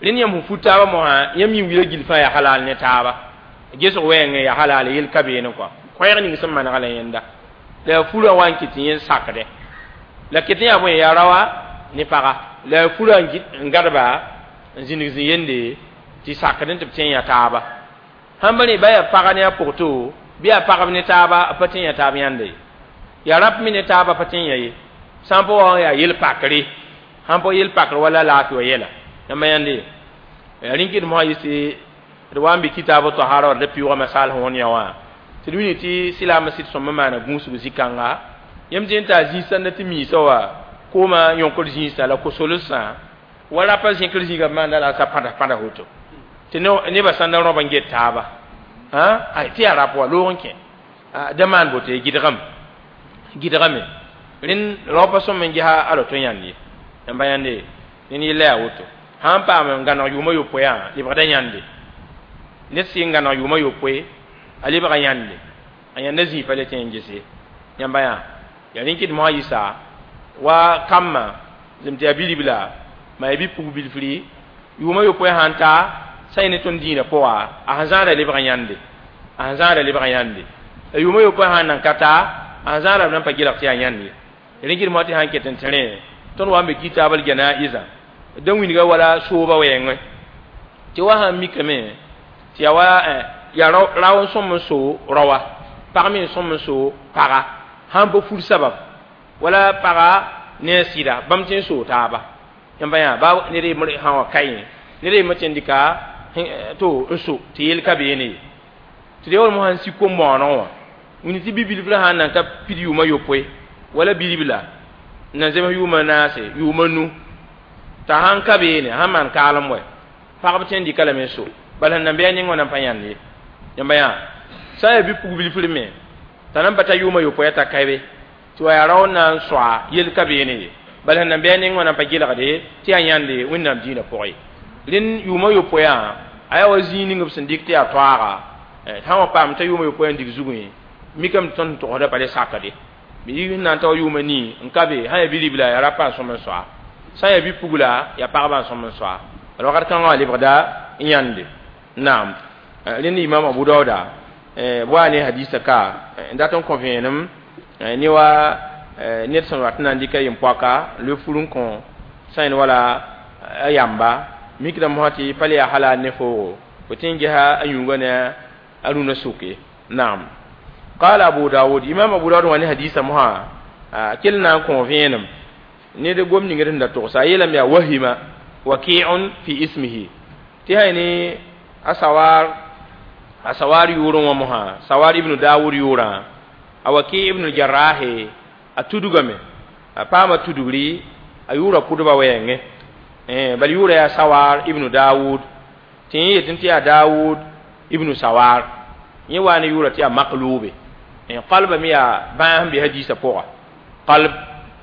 rẽnd yãmb sẽn fur taabã mosã yãmb yĩng wila gill fãa yaa halal ne taaba gesg wɛɛngẽ yaa halal yel ka beene kɔa koɛɛg ning sẽn manega la yẽnda la yaa furã wa n kɩt tɩ yẽ sakdɛ la ket n yaa bõe yaa rawa ne paga la yaa furã n gadba n zĩnig zĩ yende tɩ sakd n tɩ b tẽ yã taaba sãn pa rẽ ba yaa paga ne a pʋgto bɩ yaa pagb ne taaba pa tẽ yã taab yãnda ye yaa rap me ne taaba pa tẽ yã ye sã n pa wa yaa yel-pakre sãn pa yel-pakr wala laafɩ wa yɛla yãmba yãnde yaa rẽn kɩd mosã yɩs d wa n bɩ kitaab tahara wa d pɩʋʋga masal sẽn wõn yã wã tɩ d wilg tɩ silaamã sɩd sõmb n maana gũusg zĩ-kãnga yãmb tɩ n taa zĩisã na tɩ miisã wa koomã yõkr zĩisã la ko-solsã wa rapa zẽkr zĩigã b maanda la sa pãda pãda woto tɩ nebã sãn da rõb n get taaba tɩ yaa rap wa loog n kẽ da maan boto ye gɩdgame gɩdgame rẽnd raoopã sõm n gesa a ra-to yãnd ye yãmba yãnde ned yella yaa woto sã n paam n gãneg yʋʋmã yopoe yã lebgda yãnde ned sɩ n gãneg yʋʋmã yopoe a lebga yãnde a yãnda zĩig pa le tẽ n gese yãmba yã yaa rẽn kɩd mosã yɩsa wa kambã zem tɩ yaa bi-ribla ma yaa bi-pug bilfri yʋʋmã yopoe sãn ta sã yẽ ne tõnd dĩinã pʋga a sẽn zãada lebg yãnde a sẽn zãada lebg yãnde la yʋʋmã yopoe sãn nan ka ta a sẽn zãada b nan pa gɩlg tɩ yaa yãnd ye Rẽngir mo tɩ sãn ket n tẽ rẽ tõnd wa n be kitaabl janaiza dã wĩnga wala sooba wɛɛngẽ tɩ wa sãn mikame tɩ yaa wa yaa rao n sõm n so raoa pag me n sõm n so paga sãn pa fur sabab wala paga ne a sɩda bãmb tɩ n soo taaba yãmba yã ba ned yembr sã wa ka yẽ ned yembr tɩ n dɩka to n so tɩ yel ka beene ye tɩ d yaool mosã n sik kom-bõoneg wã wĩnd tɩ bi-bilfrã sãn na n ta pid yʋʋmã yopoe wala bilibla n na zems yʋʋmã naase yʋʋmã nu t'a sãn ka beene sãn maan kaalem wɛ pagb tɩ n dɩka lame n so bala sẽn nan bɩ a neng wã nan pa yãnd ye yãmba yã sã n yaa bi-pug-bilfr me t'a nan pa ta yʋʋmã yopoe t'a ka be tɩ wa yaa rao n na n soa yel ka beene ye bala sẽn nan bɩ a neng wã nan pa gelgde tɩ yaa yãnde Wẽnnaam dĩinã pʋgẽ ye rẽnd yʋʋmã yopoe a yaa wa zĩig ning b sẽn dɩk tɩ yaa toaaga sã n wa paam t'a yʋʋmã yopoe n dig zugẽ mikame tɩ tõnd togsda pa le sakde bɩ yik n na n ta wa yʋʋmã nii n ka be sã n yaa bi-ribla yaa rapa n sõm n soa sã n yaa bi-pugla yaa pagba n sõm n soa bala wakat kãngã wã lebgda n yãnde naam rẽnd imam Abu Dauda b wa ne hadisa ka n dat n kõ vẽenem ne wa ned sẽn wat n na n dɩka yem-poaka n loe fur n kõ sã n wala a yamba mikdame mosã tɩ pa le yaa halal ne foogo fo tɩ n gesa a yũungã ne a rũnã soke naam قال أبو داود إمام أبو داود واني حديث مها كل نان كون فينم نيد غوم نيغ رندا توسا يلم يا وهم وكيع في اسمه تي هاي أسوار أسوار يورون ومها سوار ابن داود يورا أوكي ابن الجراح أتودغمي أپاما تودغري أيورا كودبا وينغ بل يورا يا سوار ابن داود تي يتنتي يا داود ابن سوار yẽ wa ne yʋʋra tɩ yaa makloobe qalba me yaa bãas sẽn be hadiisã pʋga qalb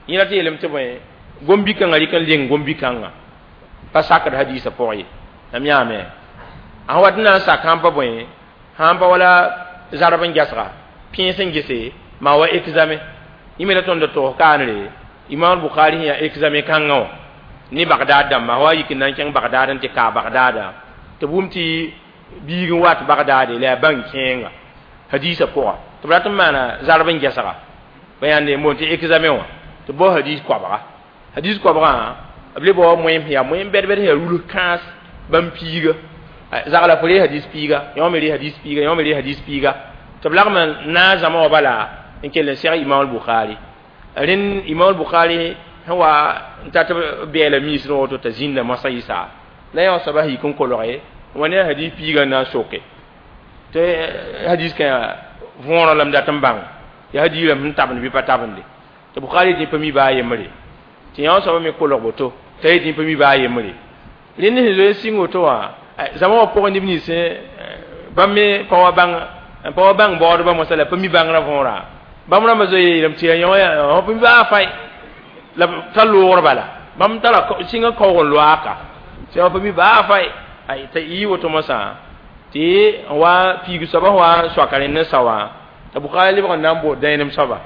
yẽ la tɩ yeelame tɩ bõe gom-bi-kãngã rɩk n leng gom-bi-kãngã pa sakd hadiisã pʋgẽ ye lam yãame a sẽn wat n na n sak sãn pa bõe sãn pa wala zarb n gesga pẽes n gese maa wa exame yẽ me la tõnd togs kaanre Imam Bukhari sẽn yaa exame kãngã wã ne Bagdad dãmba wa yik n na n kẽng Bagdad n tɩ kaa Bagdada tɩ b wʋm tɩ biig n wat Bagdad la yaa bãng kẽenga hadiisã pʋga tɩ b rat n maana zarb n gesga ba yãnde n boond tɩ examen wã tɩ bao hadiis koabga hadiis koabgã b le bao moem yaa moem bɛd-bɛd sẽn yaa rulus kãas bãmb piiga zagla fo ree hadiis piiga yõ me ree hadiis piiga yõ me ree hadiis piiga tɩ b lagm n naag zãma wã bala n kell n seg Imam Bukhari rẽnd Imam Bukhari sẽn wa n tat b bɛɛla miisd woto t'a zĩnda moasã yɩsa la yã wã soaba yik n kolge wa ne hadis piiga n na n soke tɩ hadis kã võorã lame dat n bãng yaa hadiis rãmb sẽn tabend bɩ pa tabende tɩ Bukhari tɩ pa mi baa yembre tɩ yã wã soaba me kolg boto t'a yetɩ pa mi baa yembre rẽnd sẽn zoe n sɩng woto wã zãma wã pʋgẽ neb nins bãmb me pa wa bãng pa wa bãng baoodbã mosã la pa mi bãngrã võorã bãmb rãmbã zoe yeelame tɩ yaa yõ pa mi baa fay la b tar loogr bala bãmb tara sɩngã kaoog n loaaka tɩ pa mi baa fay ay t'a yɩ woto mosã tɩ n wa piig soaba wa soaka rẽnd n sao wã t'a Bukhari lebg n na n bood dãenem soaba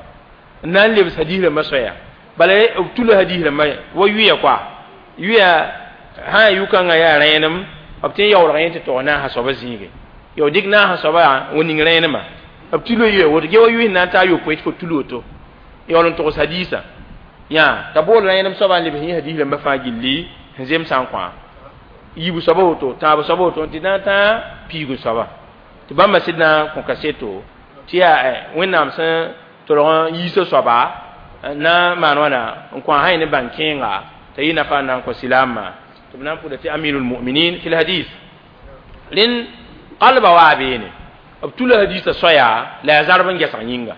n na n lebs hadiis rãmbã soaya bala b tula hadiis rãmbã wa yʋya koa yʋya sã n yʋ-kãngã yaa rẽenem b tɩ n yaoolg yẽ tɩ tog naasã soaba zĩige yo dɩk naasã soaba wa ning rẽenemã b tula yʋya woto ge wa yʋɩ n na n taa yopoe tɩ fo tul woto yaool n togs hadiisã yã t'a bool rẽenem soaba n lebs yẽ hadiis rãmbã fãa gilli sẽn zemsã n kõ yibu soaba woto tãab soaba woto tɩ na n tã piigu soaba tɩ bãmba sɩd na n kõ kaseto tɩ yaa Wẽnnaam sẽn tolg n yiisa soaba na n maan wãna n kõ a sã ne bãng kẽenga t'a yɩ nafa n na n kõ silaamã tɩ b na n pʋda tɩ amirul muminin fi lhadis rẽnd qalba waa beene b tula hadiisã soaya la yaa zarb n gesg yĩnga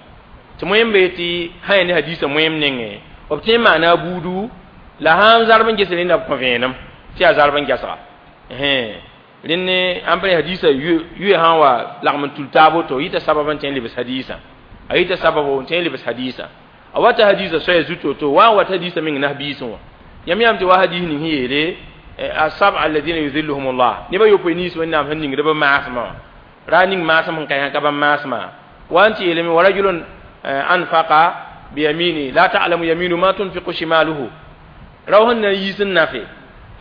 tɩ moem be tɩ sã ne hadiisã moem nengẽ b tõe n maana a buudu la sãn zarb n ges rẽnda b kõ vẽenem tɩ yaa zarb n gesga rẽnd ãmb hadiisã yʋ sã n wa lagm n tul taab woto yita sabab n tõe n lebs hadiisã a yita sababo n tõe n lebs hadiisã a wata hadiisã soaya zut woto wa n wat hadiisã meng nas biisẽ wã yãmb yãmb tɩ wa hadiis ning sẽn yeele asab'a alladhina yuzilluhum Allah neba yopoe nins Wẽnnaam sẽn ningd b maasmã wã ra ning maasem sẽn ka yã ka bãmb maasmã wa n tɩ yeelame wa rajulun anfaqa biyamini la ta'lamu yaminu ma tunfiqu shimaluhu rao sẽn na n yiis n nafe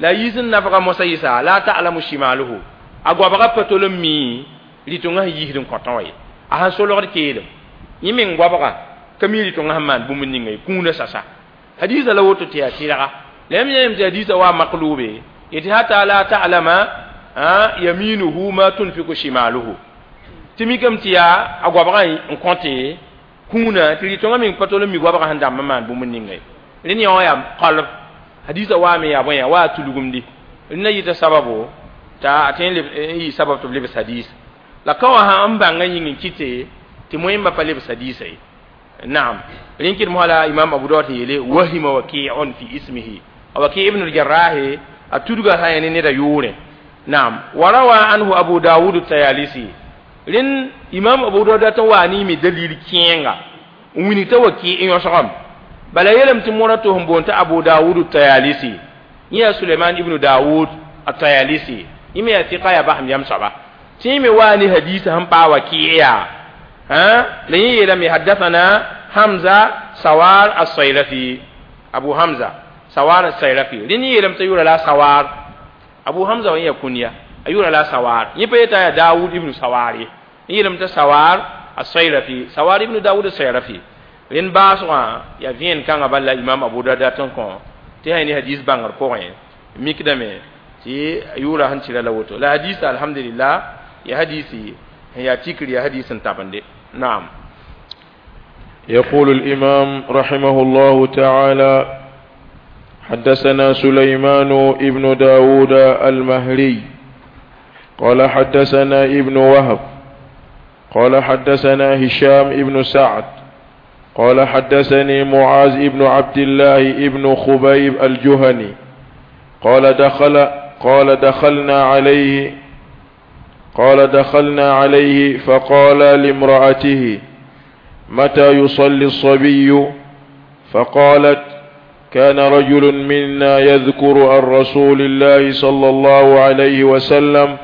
la yiis n nafga mosã yɩsa la ta'lamu shimaluhu a goabga pa tol n mi rɩtongã sẽn yiisd n kõtã wã ye a sẽn solgd keelem yẽ meng goabga Ka mi rɩ-tõngã sẽn maan bũmb ninga ye kũunã sasa hadisa la woto tɩ yaa tɩrga la yãmb yãm tɩ hadisa wa maklube yetɩ hata la ta'lama yaminuhu ma tunfiku shimaluhu tɩ mikame tɩ yaa a goabgã n kõte kũunã tɩ rɩ-tõngã meng pa tol n mi goabgã sẽn dãmb n maan bũmb ninga ye rẽnd yã wã yaa qalb hadisa waame yaa bõe yaa wa tulgumdi rẽnda yɩta sababo t'a a tõe n yɩ sabab tɩ b lebs hadis la ka wã sã n bãngã yĩng n kɩte tɩ moẽmba pa lebs hadisa ye naam rẽn kɩd mosã la imam abu daud yeele wahima waki'un fi ismihi waki ibn al-jarrah a tudga sã ne neda yʋʋrẽ naam wa rawa anhu abu dawud tayalisi rẽn imam abu daud tɩ wa ne mi dalil kẽenga n wilg t'a waki n yõsgame bala yeelame tɩ mora to sẽn boond t'a abu dawud tayalisi yẽ yaa suleiman ibnu dawud atayalisi yẽ me yaa tɩka yaa basem yam soaba tɩ yẽ me waa ne hadisa sẽn paa waki yaa la yẽ yeelame haddathana hamza sawar as-sayrafi abu hamza sawar as-sayrafi rẽnd yẽ yeelame t'a yʋra la sawar abu hamza wã yã kunya a yʋra la sawar yẽ pa yeta yaa dawud ibnu sawar ye yẽ yeelame t'a sawar as-sayrafi sawar ibnu dawud as-sayrafi rẽnd baasgã yaa vẽen kãngã bala imam abu dawud tɩ n kõ tɩ sã ne hadis bãngr pʋgẽ mikdame tɩ yʋʋra sẽn tɩra la woto la hadisa alhamdulillah ya hadisi sẽn yaa tikr ya hadis n tabende naam. يقول الإمام رحمه الله تعالى حدثنا سليمان ابن داود المهري قال حدثنا ابن وهب قال حدثنا هشام ابن سعد قال حدثني معاذ ابن عبد الله ابن خبيب الجهني قال دخلنا عليه فقال لامرأته متى يصلي الصبي؟ فقالت كان رجل منا يذكر عن رسول الله صلى الله عليه وسلم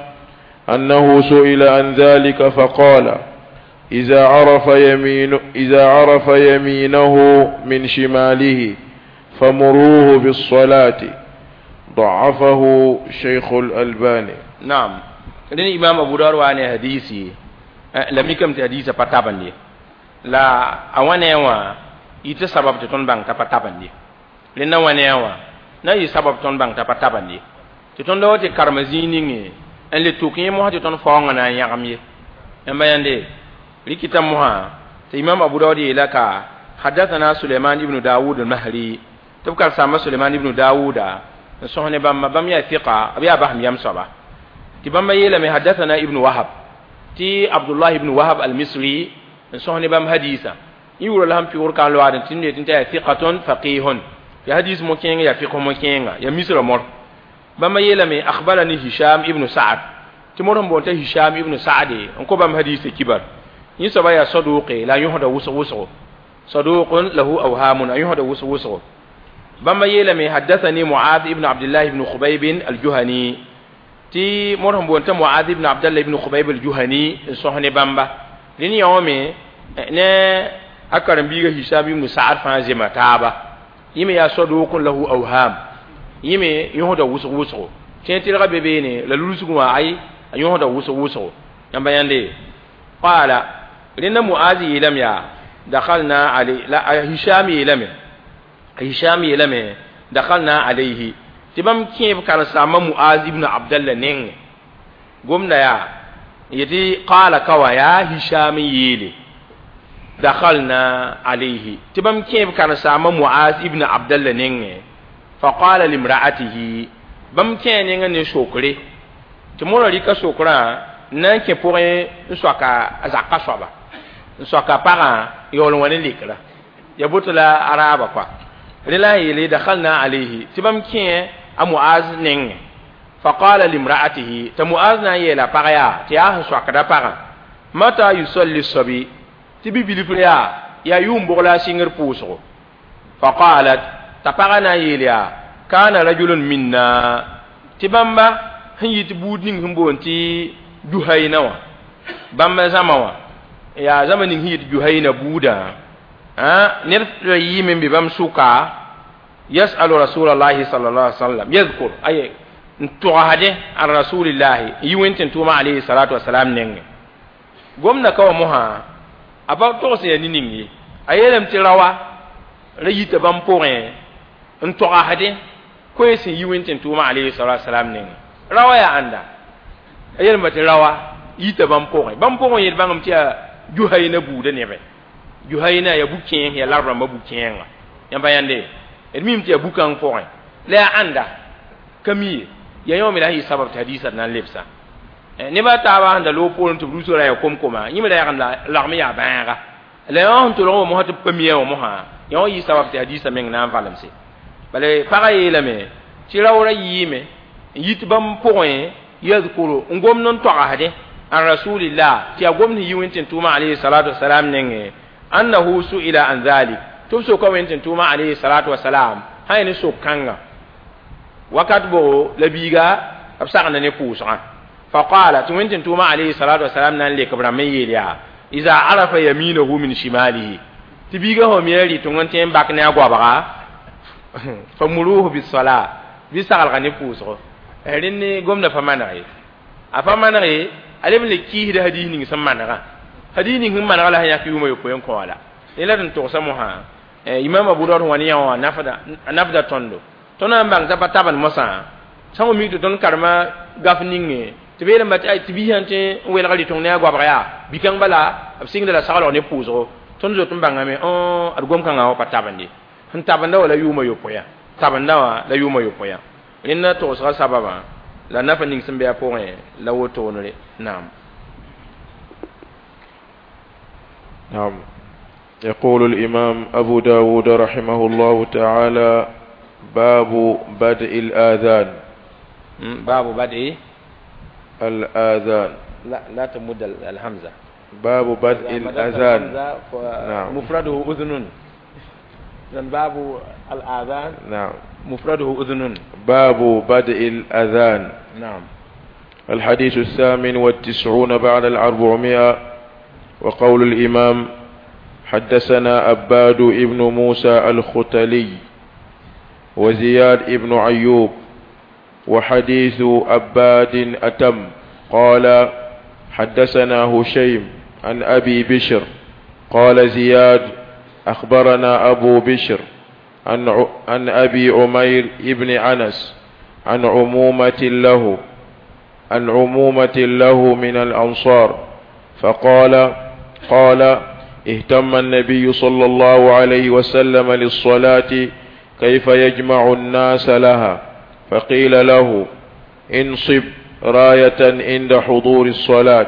أنه سئل عن ذلك فقال إذا عرف يمينه من شماله فمروه بالصلاة. ضعفه شيخ الألباني. نعم. لأن إمام أبو داود وأنا حديثي لم يكن حديث فتابني لا أوانا وا يت سبب تون بان تفتابني لأن أوانا وا نا يسبب تون بان تفتابني تون دو تكرمزيني أن لتوكي مو تون فوغنا يغمي أما يندي ريكتا موها إمام أبو داود لك حدثنا سليمان ابن داود المهري تبكر سامة سليمان ابن داود سهني بام بام يا ثقة أبي أبهم يم سبا تبام يلمي حدثنا ابن وهب تي عبد الله ابن وهب المصري سهني بام حديثا يقول لهم في وركان لوارن تني تنتهي ثقة فقيه في حديث مكين يا فقه مكين يا مصر مر بام يلمي أخبرني هشام ابن سعد تمرهم بونت هشام ابن سعد انكو بام حديث كبر يسبا يا صدوق لا يهدى وسو وسو صدوق له أوهام يهدى وسو وسو بما يلمي حدثني معاذ ابن عبد الله بن خبيب الجهني تي مرهم بونت معاذ ابن عبد الله بن خبيب الجهني صحني بامبا لين يومي نه أكرم بيغا هشام بن سعد فانزما تابا يمي يا صدوق له أوهام يمي يهدى وسو وسو تي تلغا بيبيني لا لولسكو اي يهدى وسو وسو يamba yande قال لأن معاذ لم يا دخلنا عليه لا هشام لم هشام لم دخلنا عليه تبام كيف كان سام معاذ ابن عبد الله نين قمنا يا يتي قال كوا يا هشام يلي دخلنا عليه تبام كيف كان سام معاذ ابن عبد الله نين فقال لامرأته بام كين نين شكري تمر لك شكرا nan kẽ pʋgẽ n soaka a zaka soaba n soaka pagã yaool n wa ne lekra ya boto la araaba kɔa rẽ la n yeele dakhalna alayhi tɩ bãmb kẽ a muaz nengẽ faqala limra'atihi t'a muaz na n yeela pag yaa tɩ yaa sẽn soakda pagã mata yusalli sabi tɩ bi-bilfr yaa yʋʋm bʋg la a sɩngr pʋʋsgo faqalat t'a pagã na n yeel yaa kana rajulun minna tɩ bãmba sẽn yɩ tɩ buud ning sẽn boond tɩ juhayna wa bãmba zãma wã yaa zãma ning sẽn yɩt juhayna buudã ned yiime n be bãmb sʋka yasalu rasulallahi sallallahu alaihi wasallam yadhkur ay n togsde an rasulillahi n yi wẽn tɩ n tʋʋma alayhi salatu wasalam nengẽ gomda ka wã mosã a pa togs ya ne ning ye A yeelame tɩ raoa ra yita bãmb pʋgẽ n togsdẽ koe sẽn yi wẽn tʋʋma alayhi salatu wasalam nengẽ. Raoa yaa ãnda? A yeelame tɩ raoa yita bãmb pʋgẽ. Bãmb pʋgẽ yel bãngame tɩ yaa Juhayna buudã nebẽ. Juhayna yaa bu-kẽes, yaa lagf rãmbã bu-kẽenga. Yãmba yãnde d mim tɩ yaa bu-kãng pʋgẽ la yaa ãnda ka mi ye. Yaa yõ me la sẽn yɩ sabab tɩ hadiisã d na n lebsa neba a taaba sẽn da loog poorẽ tɩ b rus ra yaa kom-koma yẽ me ra yagem lagm yaa bãaga la yõ sẽn tolg wã mosã tɩ b pa mia wã mosã yõ yɩ sabab tɩ hadiisã meng na n valemse. Bala pagã yeelame tɩ raoora yɩɩme n yit bãmb pʋgẽ yadkuru n gomd n togsdẽ an rasulillah tɩ yaa gomd sẽn yi wẽn tɩ tʋʋma alayhi salatu wasalam nengẽ annahu su'ila an dhalik tɩ b soka wẽn tɩ tʋʋma alayhi salatu wasalam sã yaa ne sok-kãnga wakat bogo la biiga b sagenda ne pʋʋsgã. Faqala tɩ wẽn tɩ tʋʋma alayhi salatu wasalam na n lek b rãmb n yeel yaa iza arafa yaminahu min shimalihi tɩ biiga sã mi a rɩtong n tõe n bak ne a goabga famuruhu bisala bɩ sagelga ne pʋʋsgo. Rẽnd gomda pa maneg ye, a pa maneg ye, a leb n le kiisda hadiis ning sẽn manegã. Hadiis ning sẽn manegã la sẽn yãk yʋʋmã yopoe n kõ wã la ne la d n togsa mosã Imam Abu Dawud wã ne yã wã a nafda tõndo. Tõnd na n bãng t'a pa tabend mosã sã n mik tɩ tõnd karema gaf ninge tɩ b yeelame tɩ biisã tɩ n welg rɩtong ne a goabg yaa bi-kãng bala b sɩngda la saglg ne pʋʋsgo. Tõnd zot n bãngame d gom-kãngã wã pa tabend ye. Sẽn tabenda wã la yʋʋmã yopoe tabenda wã la yʋʋmã yopoe. Rẽnda togsga sababã la nafa ning sẽn be a pʋgẽ la wotoonre. Naam. نعم. يقول الإمام أبو داود رحمه الله تعالى: باب بدء الآذان. باب بدء الآذان. لا لا تمد الهمزة. باب بدء الأذان. نعم. مفرده أذن. إذن باب الآذان. نعم. مفرده أذن. باب بدء الأذان. نعم. الحديث 98 بعد 400. وقول الإمام: حدثنا أباد ابن موسى الختلي وزياد ابن أيوب، وحديث أباد أتم. قال: حدثنا هشيم عن أبي بشر قال زياد: أخبرنا أبو بشر عن أبي عمير ابن أنس عن عمومة له من الأنصار، فقال: قال: اهتم النبي صلى الله عليه وسلم للصلاة كيف يجمع الناس لها، فقيل له: انصب راية عند حضور الصلاة،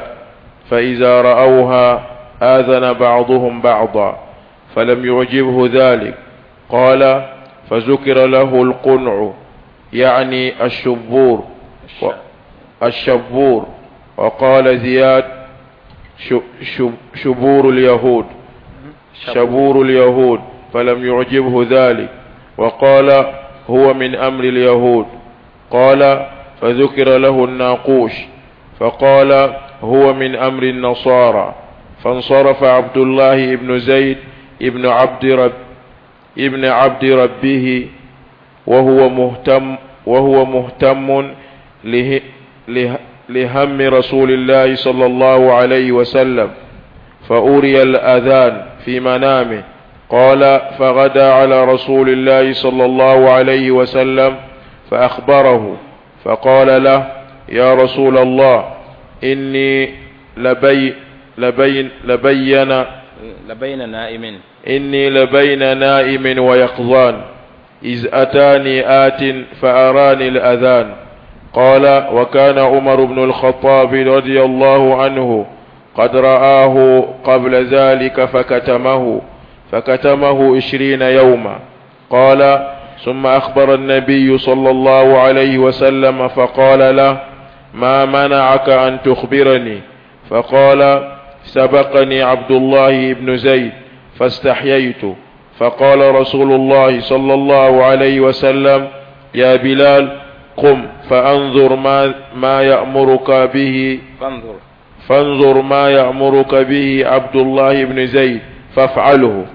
فإذا رأوها آذن بعضهم بعضا، فلم يعجبه ذلك. قال: فذكر له القنع، يعني الشبور. وقال زياد: شبور اليهود، فلم يعجبه ذلك، وقال: هو من أمر اليهود. قال: فذكر له الناقوش، فقال: هو من أمر النصارى. فانصرف عبد الله بن زيد ابن عبد ربه وهو مهتم لهم رسول الله صلى الله عليه وسلم، فأري الأذان في منامه. قال: فغدا على رسول الله صلى الله عليه وسلم فأخبره، فقال له: يا رسول الله، إني لبين نائم ويقظان، إذ أتاني آت فأراني الأذان. قال: وكان عمر بن الخطاب رضي الله عنه قد رآه قبل ذلك فكتمه 20 يوما. قال: ثم أخبر النبي صلى الله عليه وسلم فقال له: ما منعك أن تخبرني؟ فقال: سبقني عبد الله بن زيد فاستحييت. فقال رسول الله صلى الله عليه وسلم: يا بلال، قم فانظر ما يأمرك به، فانظر ما يأمرك به عبد الله بن زيد فافعله.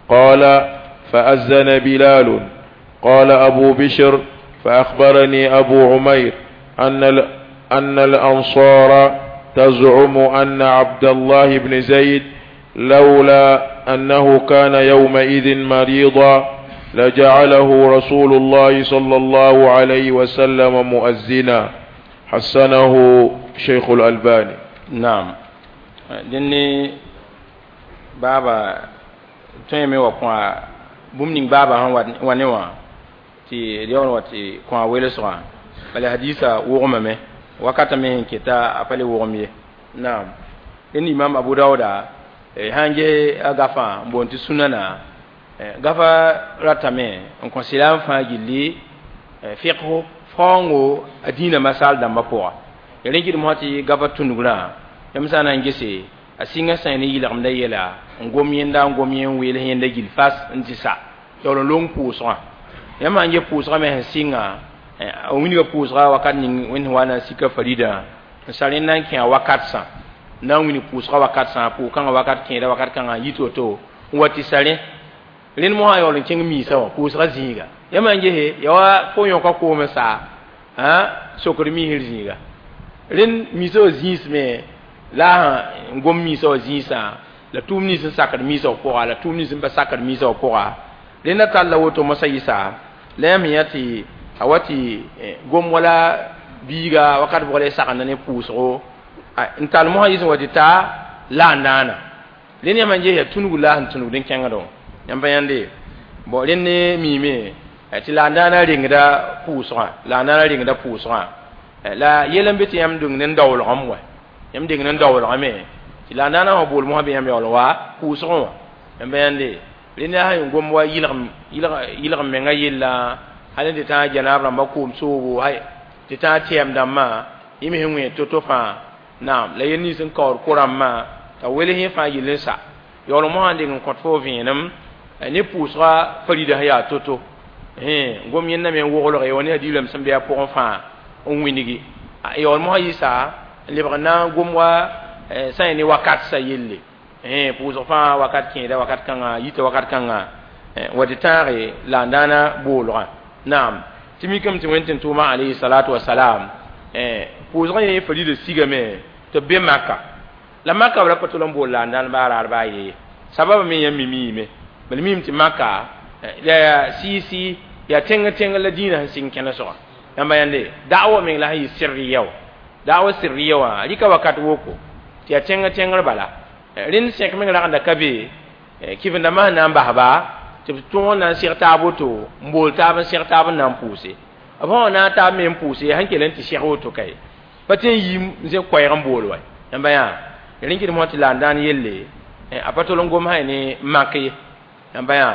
قال: فأذن بلال. قال أبو بشر: فأخبرني أبو عمير أن الأنصار تزعم أن عبد الله بن زيد لولا أنه كان يومئذ مريضا لجعله رسول الله صلى الله عليه وسلم مؤذنا. حسنه شيخ الألباني. نعم. Dẽnne baaba tõe me wa kõ bũmb ning baaba sẽn wa ne wã tɩ d yaool wa tɩ kõ a welsgã bala hadisa wogmame wakata me sẽn keta a pa le wogm ye. Naam. Dẽnd imam Abu Dauda sãn ges a gafã n boond tɩ sunana gafa ratame n kõ sɩlam fãa gilli fiqh faoongo a dĩinã masal dãmbã pʋga ya rẽ kɩdem tɩ gafa tũnugrã yãmb sã n na n gese a sɩngã sã ne yɩlgemdã yɛla n gom yẽnda n gom yẽ n weel yẽnda gill fas n tɩ sa yaool n long pʋʋsgã yãmb sãn get pʋʋsgã me sẽn sɩnga a wilga pʋʋsga wakat ning wẽnd wa na n sika faridã n sa rẽnd na n kẽ a wakat sã na n wilg pʋʋsga wakat sã pʋʋg-kãngã wakat kẽeda wakat kãngã n yit woto n wa tɩ sa rẽ rẽnd mosã yaool n kẽng miisã wã pʋʋsga zĩiga yãmb sãn gese ya wa fo yõka koom n sa sokd miisr zĩiga rẽnd miisã wã zĩis me la n gom miisã wã zĩisã la tʋʋm nins n sakd miisã wã pʋga la tʋʋm nins n pa sakd miisã wã pʋga rẽnda talla woto mosã yɩsa la yãmb yã tɩ a wa tɩ gom wala biiga wakat bʋg la y sagenda ne pʋʋsgo n tall mosã yɩs n wa tɩ ta la n naana rẽnd yãmb n ges yaa tũnug la sẽn tũnugd n kẽngdẽ yãmb pa yãnde bon rẽnd ne miime tɩ la n daana rengda pʋʋsgã la n daana rengda pʋʋsgã la yɛl n be tɩ yãmb deng ne daoolgame wa yãmb deng ne daoolgame tɩ la n daana wã bool mosã be yãmb yaool wa pʋʋsgẽ wã yãmb pa yãnde rẽnd yaa sẽn gom wa yɩlgem menga yella hal tɩ tãag janaab rãmba koom soogo hay tɩ tãag tɛɛm dãmbã yẽ me sẽn wẽ to-to fãa naam la yel nins n kaood ko-rãmbã t'a wels yẽ fãa yell n sa yaool mosã n deng n kõt fo vẽenem ne pʋʋsga farida sẽn yaa to-to gom yẽnda me n woglge wa ne hadiirame sẽn be a pʋgẽ fãa n wĩnigi yaool mosã yɩsa n lebg n na n gom wa sã n ne wakat sa yelle pʋʋsg fãa wakat kẽeda wakat kãngã yita wakat kãngã wa tɩ tãage la n daana boolgã naam tɩ mikame tɩ wẽnd tɩ tʋʋma alayhi salatu wasalam pʋʋsgã yẽ farida sigame tɩ b be Maka la Maka b ra pa tol n bool la n daan baa raar baa ye sababa me yãmb me miime bala mim tɩ Maka la sɩɩ-sɩ yaa tẽng tẽng la dĩinã sẽn sɩng kẽne soga yãmba yãnde da'wa meng la sẽn yɩ sirriya wã da'wa sirriya wã rɩka wakat woko tɩ yaa tẽng tẽngr bala rẽnd sẽk meng ragenda ka be kɩvendãmbã sẽn na n basba tɩ b tõog n na n seg taab woto n bool taab n seg taab n na n pʋʋse b sã na n taab me n pʋʋse sẽn kell n tɩ seg woto kae pa tɩ n yi n zẽ koɛɛg n bool wa yãmba yã rẽn kɩdem tɩ la n daan yelle a pa tol n gom sã ne mak ye yãmba yã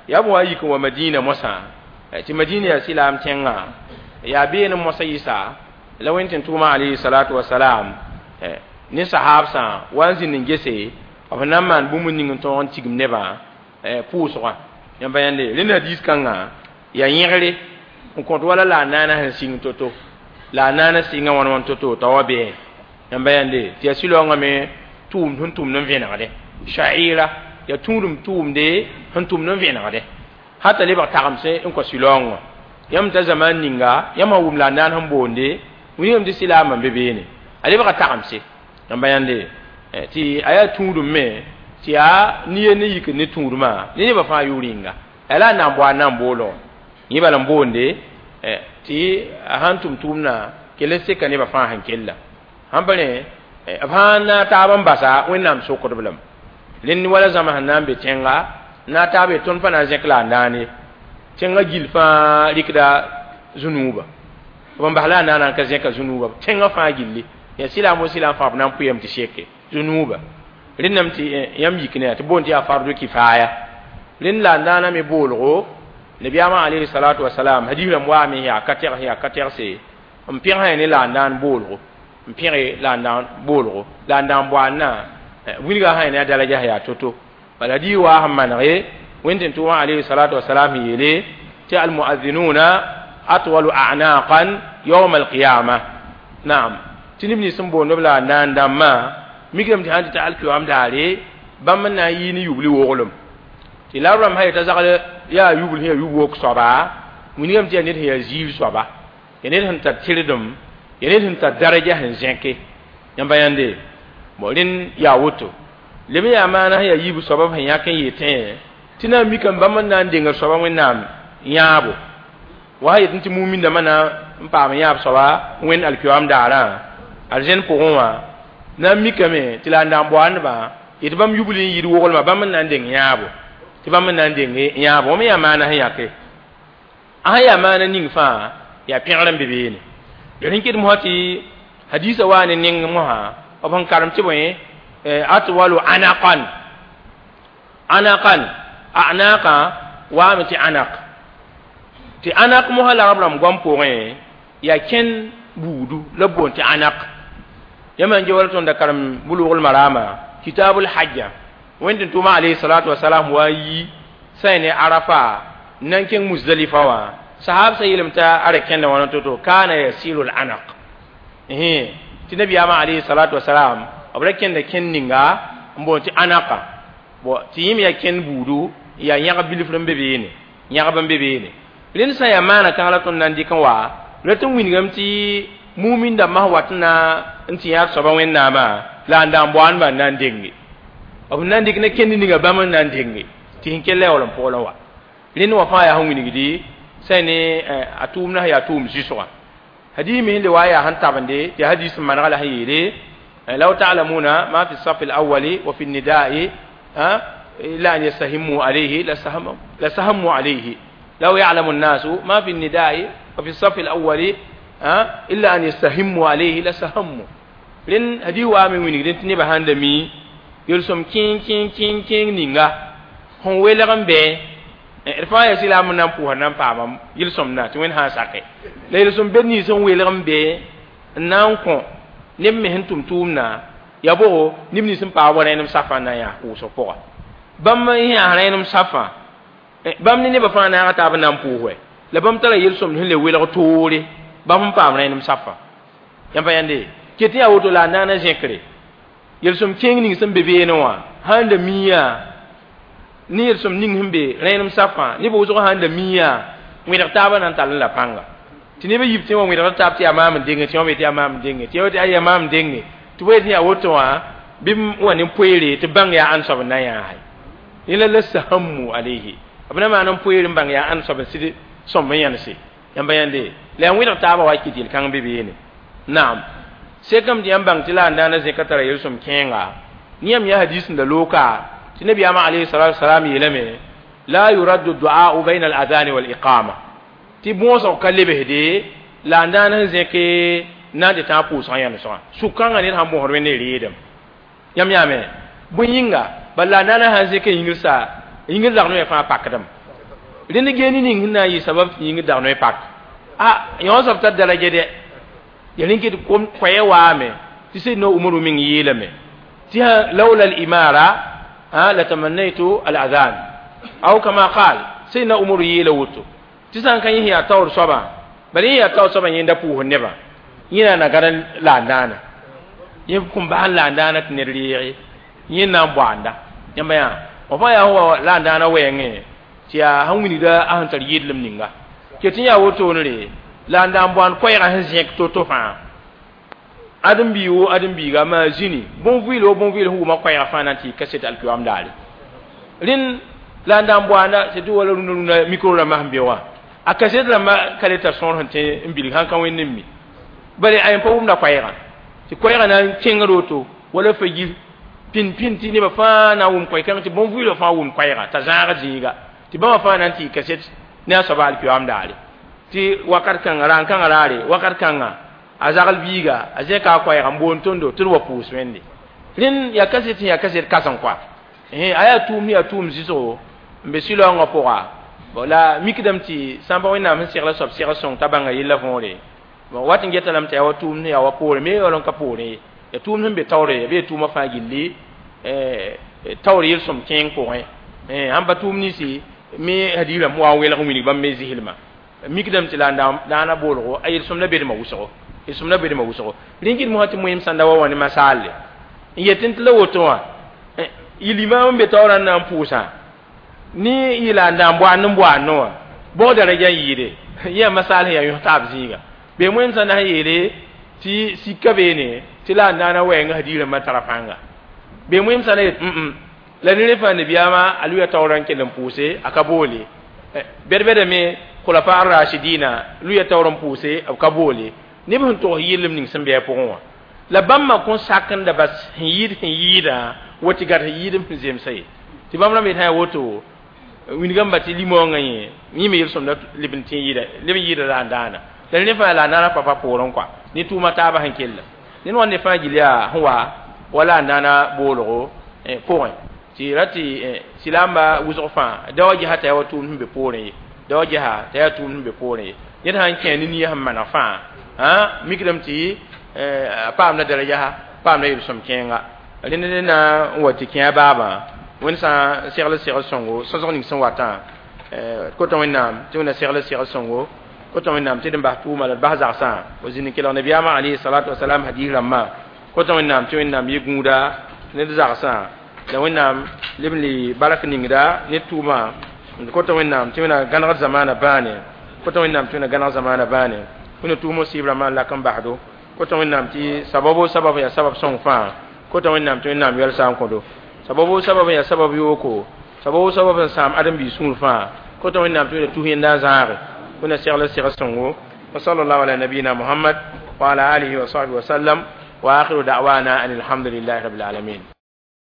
yaa b wa yik n wa Madina mosã tɩ Madina yaa silaam tẽngã yaa beene mosã yɩsa la wẽnd tɩ tʋʋma alayhi salatu wasalam ne sahaabsã wa n zĩnd n gese b na n maan bũmb ning n tõog n tigim nebã pʋʋsgã yãmba yãnde rẽnd hadiis kãngã yaa yẽgre n kõt wala la a naana sẽn sɩng to-to la a naana sɩnga wãn wãn to-to t'a wa bɩ yãmba yãnde tɩ yaa sɩlaoongã me tʋʋmd sẽn tʋmd n vẽnegde sha'ira yaa tũudum tʋʋmde sẽn tʋmd n vẽnegde hata lebg tagemse n kõ sɩlaoong wã yãmb t'a zaman ninga yãmb sã wʋm la a naan sẽn boonde wilgame tɩ sɩlaamã n be beene a lebga tagemse yãmba yãnde tɩ a yaa tũudum me tɩ yaa ne ne yik ne tũudmã ne nebã fãa yʋʋr yĩnga a la a na n bao a na n boolg yẽ bala n boonde tɩ a sãn tʋm tʋʋmdã kell n seka nebã fãa sẽn kella sãn pa rẽ b sãn na taab n basa Wẽnnaam sokdb lame rẽnd wala zãma sẽn na n be tẽnga na taab ye tõnd pa na n zẽk la a naane tẽngã gill fãa rɩkda zũnuuba b n bas la a naana n ka zẽka zũnuuba tẽngã fãa gilli yaa sɩlaam wo sɩlaam fãa b na n pʋyame tɩ seke zũnuuba rẽndame tɩ yãmb yik ne tɩ boond tɩ yaa fardu kifaya rẽnd la a naana me boolgo nabiyaamã alayhi salatu wasalam hadis rãmb waame yaa ka tɛgs yaa ka tɛgse n pẽgsã ne la a naan boolgo n pẽge la a naan boolgo la a naan boandã wilga sã ne a daraja yaa to-to bala hadis waa sẽn manege wẽnd tɩ tʋʋmã alayhi salatu wasalam yeele tɩ almuazinuna atwalu a'naqan yawm alqiyama naam tɩ neb nins n boond b la a naan dãmbã mikame tɩ sãn tɩ ta alkiyoam daare bãmb n na n yɩ ne yubli woglem tɩ la rãmb sã yeta zagl yaa yubl sẽn yaa yub wok soaba wilgame tɩ yaa ned sẽn yaa ziir soaba yaa ned sẽn tar tɩrdem yaa ned sẽn tar daraja sẽn zẽke yãmba yãnde bon rẽnd yaa woto Lem yaa maana sẽn yaa yiib soaba b sẽn yãk n yetẽ tɩ na n mikame bãmb n na n dengd soaba Wẽnnaam yãabo wa sã yetẽ tɩ mumin dãmbã na n paam yãab soaba Wẽnd alkiyoam daarã arzẽn pʋgẽ wã na n mikame tɩ la n da n boandbã yetɩ bãmb yubl n yɩɩd woglmã bãmb n na n deng yãabo tɩ bãmb n na n deng yãabo wã me yaa maana sẽn yãke a sẽn yaa maana ning fãa yaa pẽgr n be beene d rẽn ket mosã tɩ hadisa waa ne neng mosã b sẽn karem tɩ bõe atwalu anaqan anaqan anaqa waame tɩ anak tɩ anak mosã la rab rãmb goam pʋgẽ yaa kẽn buudu la b boond tɩ anak yãmb n ge wala tõnd da karem bulugl marama kitabul hajja wẽnd tɩ tʋʋma alayhi salatu wasalam wa n yi sã ne arafa n na n kẽng musdalifa wã sahab sa yeelame t'a a ra kẽnda wãna to-to kana yasiru l-anaq tɩ nabiyaamã alayhi salatu wasalam b ra kẽnda kẽnd ninga n boond tɩ anaka bon tɩ yẽm yaa kẽnd buudu yaa yãgb bilfr n be beene yãgb n be beene rẽnd sã n yaa maana kãng la tõnd na n dɩk n wa rat n wilgame tɩ mumin dãmbã sẽn wat n na n tɩ yãag soaba Wẽnnaamã la n da n boandbã n na n denge b na n dɩk ne kẽnd ninga bãmb n na n denge tɩ sẽn kell la yaool n pʋgl n wa rẽnd wã fãa yaa sẽn wilgdi sã ne a tʋʋmdã sẽn yaa tʋʋm zɩsgã hadis me le wa yaa sẽn tabende tɩ hadis n manega la sẽn yeele law ta'lamuna ma fi الصف الأول وفي النداء إلا أن يستهموا عليه لسهموا عليه لو يعلم الناس ما في النداء وفي الصف الأول إلا أن يستهموا عليه لسهموا لأن هدي وامي ويني لأن تنبه هندمي يلسم كين كين كين كين نينغا هون ويلغن بي رفا يسلا من نام بوها نام پاما يلسم نا تي وين ها ساكي لا يلسم بني سن ويلغن بي نان كون neb me sẽn tʋm tʋʋmdã ya bogo neb nins n paag wa rẽenem safã n na n yaa kʋʋsg pʋga bãmb n yaa rẽenem safã bãmb ne nebã fãa naaga taab n na n pʋʋs la bãmb tara yel-sõmd sẽn le welg toore bãmb sẽn paam rẽenem safã yãmb pa yãnde ket yaa woto la a naana zẽkre yel-sõm kẽeng ning sẽn be beene wã sãn da miã ne yel-sõm ning sẽn be rẽenem safã neb wʋsg sãn da miã wẽdg taabã na n tall n la pãnga tɩ neb yib tẽ wã wẽdgd taab tɩ yaa maam n denge tɩ wã tɩ yaa maam n denge tɩ tɩ yaa maam n denge tɩ bõe tɩ yaa woto wã bɩ wa ne poeere tɩ bãng yaa ãn soab n na n yãase yẽla la sahammu alayhi b na maan n poeer n bãng yaa ãn soab n sɩd sõmb n yãnse yãmba yãnde la yaa wẽdg taabã wa kɩt yel-kãng be beene naam sekame tɩ yãmb bãng tɩ la n daana zẽka tara yel-sõm kẽenga ne yãmb yaa hadis n da looka tɩ nabiyaamã alayhi salatu wasalam yeelame la yuraddu du'a'u bayna al-adhan wal-iqama tɩ bõosg ka lebsde la n daan sẽn zẽke na n tɩ tãag pʋʋsgã yãmsgã sũ-kãngã ned sãn bõsd wẽnde reedem yãmb yaame bõe yĩnga bala la n daana sãn zẽk yĩngr sa yĩngr dag noɛ fãa pakdem rẽnd geeni ning sẽn na n yɩ sabab tɩ yĩngr dag noɛ pak a yõ soab tar daraja dɛ ya rẽn ket koɛɛ waame tɩ Seydina Umaru meng yeelame tɩ lawla al-imara latamannaytu al-adhan aw kama qal Seydina Umaru yeela woto tɩ sã n ka yẽ yaa taoor soabã bala yẽ yaa taoor soabã yẽnda pʋʋsd nebã yẽ na gad la n daana yẽ kõn bas n la n daana tɩ ned reege yẽ na n boanda yãmba yaa f fãa yaa wa la n daana wɛɛngẽ tɩ yaa sẽn wilgda a sẽn tar yɩdlem ninga ket n yaa wotone la n da n boand koɛɛgã sẽn zẽk to-to fãa ãdem-bii wo ãdem-biiga maa zĩni bõn-vɩɩl wo bõn-vɩɩl sẽn wʋma koɛɛgã fãa na n tɩ yɩ kaset alkiyoam daare rẽnd la n da n boanda surtout wala rũnã rũnã micro rãmbã sẽn be wã a kaset rãmbã ka le tar sõor sẽn tẽ n bilg sãn ka wẽnd n mi bala a yẽ pa wʋmda koɛɛgã tɩ koɛɛgã na n kẽngd woto wala fa yir pĩn pĩn tɩ nebã fãa na n wʋm koɛ-kãng tɩ bõn-vɩɩlã fãa wʋm koɛɛgã t'a zãag zĩiga tɩ bãmba fãa na n tɩ yɩ kaset ne a soaba alkiyoam daare tɩ wakat kãnga rãan kãngã raare wakat kãnga a zagl biiga a zẽka a koɛɛga n boond tõndo tɩ d wa pʋʋs wẽnde rẽnd yaa kaset sẽn yaa kaset kãsem koa a yaa tʋʋm yaa tʋʋm zɩsgo n be sɩlaoongã pʋga bon la mikdame tɩ sãn pa Wẽnnaam sẽn segla soab segl sõng t'a bãnga yella võore bon wat n geta lame tɩ yaa wa tʋʋm yaa wa poorẽ me yaool n ka poorẽ ye ya tʋʋm sẽn be taoore ya bee tʋʋmã fãa gilli taoor yel-sõm kẽeng pʋgẽ sãn pa tʋʋm ninsi me hadiis rãmb wa n welg n wilg bãmb me zɩslmã mikdame tɩ la n daana boolgo a yel-sõm la bedmã wʋsgo yel-sõm la bedmã wʋsgo rẽn kɩt mosã tɩ moeem sãnda wa wã ne masaalle n yetẽ tɩ la woto wã yɩl imaam n be taoorã n na n pʋʋsã ni yɩla n da n boand n boandẽ wã bõg daraja n yɩɩde yẽ masaal sẽn yaa yõs taab zĩiga bee wẽnd sã na sẽn yeele tɩ sika beene tɩ la n daana wɛɛngã hadiis rãmbã tara pãnga Be wẽmsã la yet la ne fãa nabiyaamã a luya taoorã n kell n pʋʋse a ka boole bɛd-bɛda me khulafa rashidina luya taoor n pʋʋse b ka boole neb sẽn togs yɩllem ning sẽn bɩ a pʋgẽ wã la bãmbã kõn sak n da bas sẽn yɩɩd sẽn yɩɩdã wa tɩ gad sẽn yɩɩd n zemsa ye tɩ bãmb rãmb yet sã yaa woto wingame ba tɩ limoongã yẽ yĩme yel-sõmda leb n tẽ yɩɩda leb n yɩɩda la n daana la ne fãa la a naana pa pa poorẽ kɔa ne tʋʋma taabã sẽn kella ned wa ne fãa gill yaa sẽn wa wala a naana boolgo pʋgẽ tɩ ra tɩ silaamba wʋsg fãa da wa gesa t'a yaa wa tʋʋmd sẽn be poorẽ ye da wa gesa t'a yaa tʋʋmd sẽn be poorẽ ye ned sãn kẽ ne nia sẽn maneg fãa mikdame tɩ a paamda daraja paamda yel-sõm kẽenga rẽnd ne na n wa tɩ kẽ a baabã wẽnd sã n segl segl sõngo sõsg ning sẽn watã kota wẽnnaam tɩ wẽnna segl segl sõngo kota wẽnnaam tɩ d n bas tʋʋma la d bas zagsã o zĩnd n kelg nabiyaamã alayhi salatu wasalam hadis rãmbã kota wẽnnaam tɩ wẽnnaam yɩ gũuda ne d zagsã la wẽnnaam leb n le bark ningda ne tʋʋma kota wẽnnaam tɩ wẽnna gãnegd zamaana bãane kota wẽnnaam tɩ wẽnna gãneg zamaana bãane wẽnna tʋʋm sɩɩb rãmbã n lak n basdo kota wẽnnaam tɩ sababo sabab yaa sabab sõng fãa kota wẽnnaam tɩ wẽnnaam yɛlsa n kõdo sababu sabab ya sabab yoko sababu sabab n sãam ãdem-biig sũur fãa kota wẽnnaam tɩ wẽnna tus yẽnda n zãage wẽnna segl segl sõngo wa sallallahu ala nabiyina muhammad wa ala alihi wa sahbihi wa sallam wa akhiru da'wana an alhamdulillahi rabbil alamin.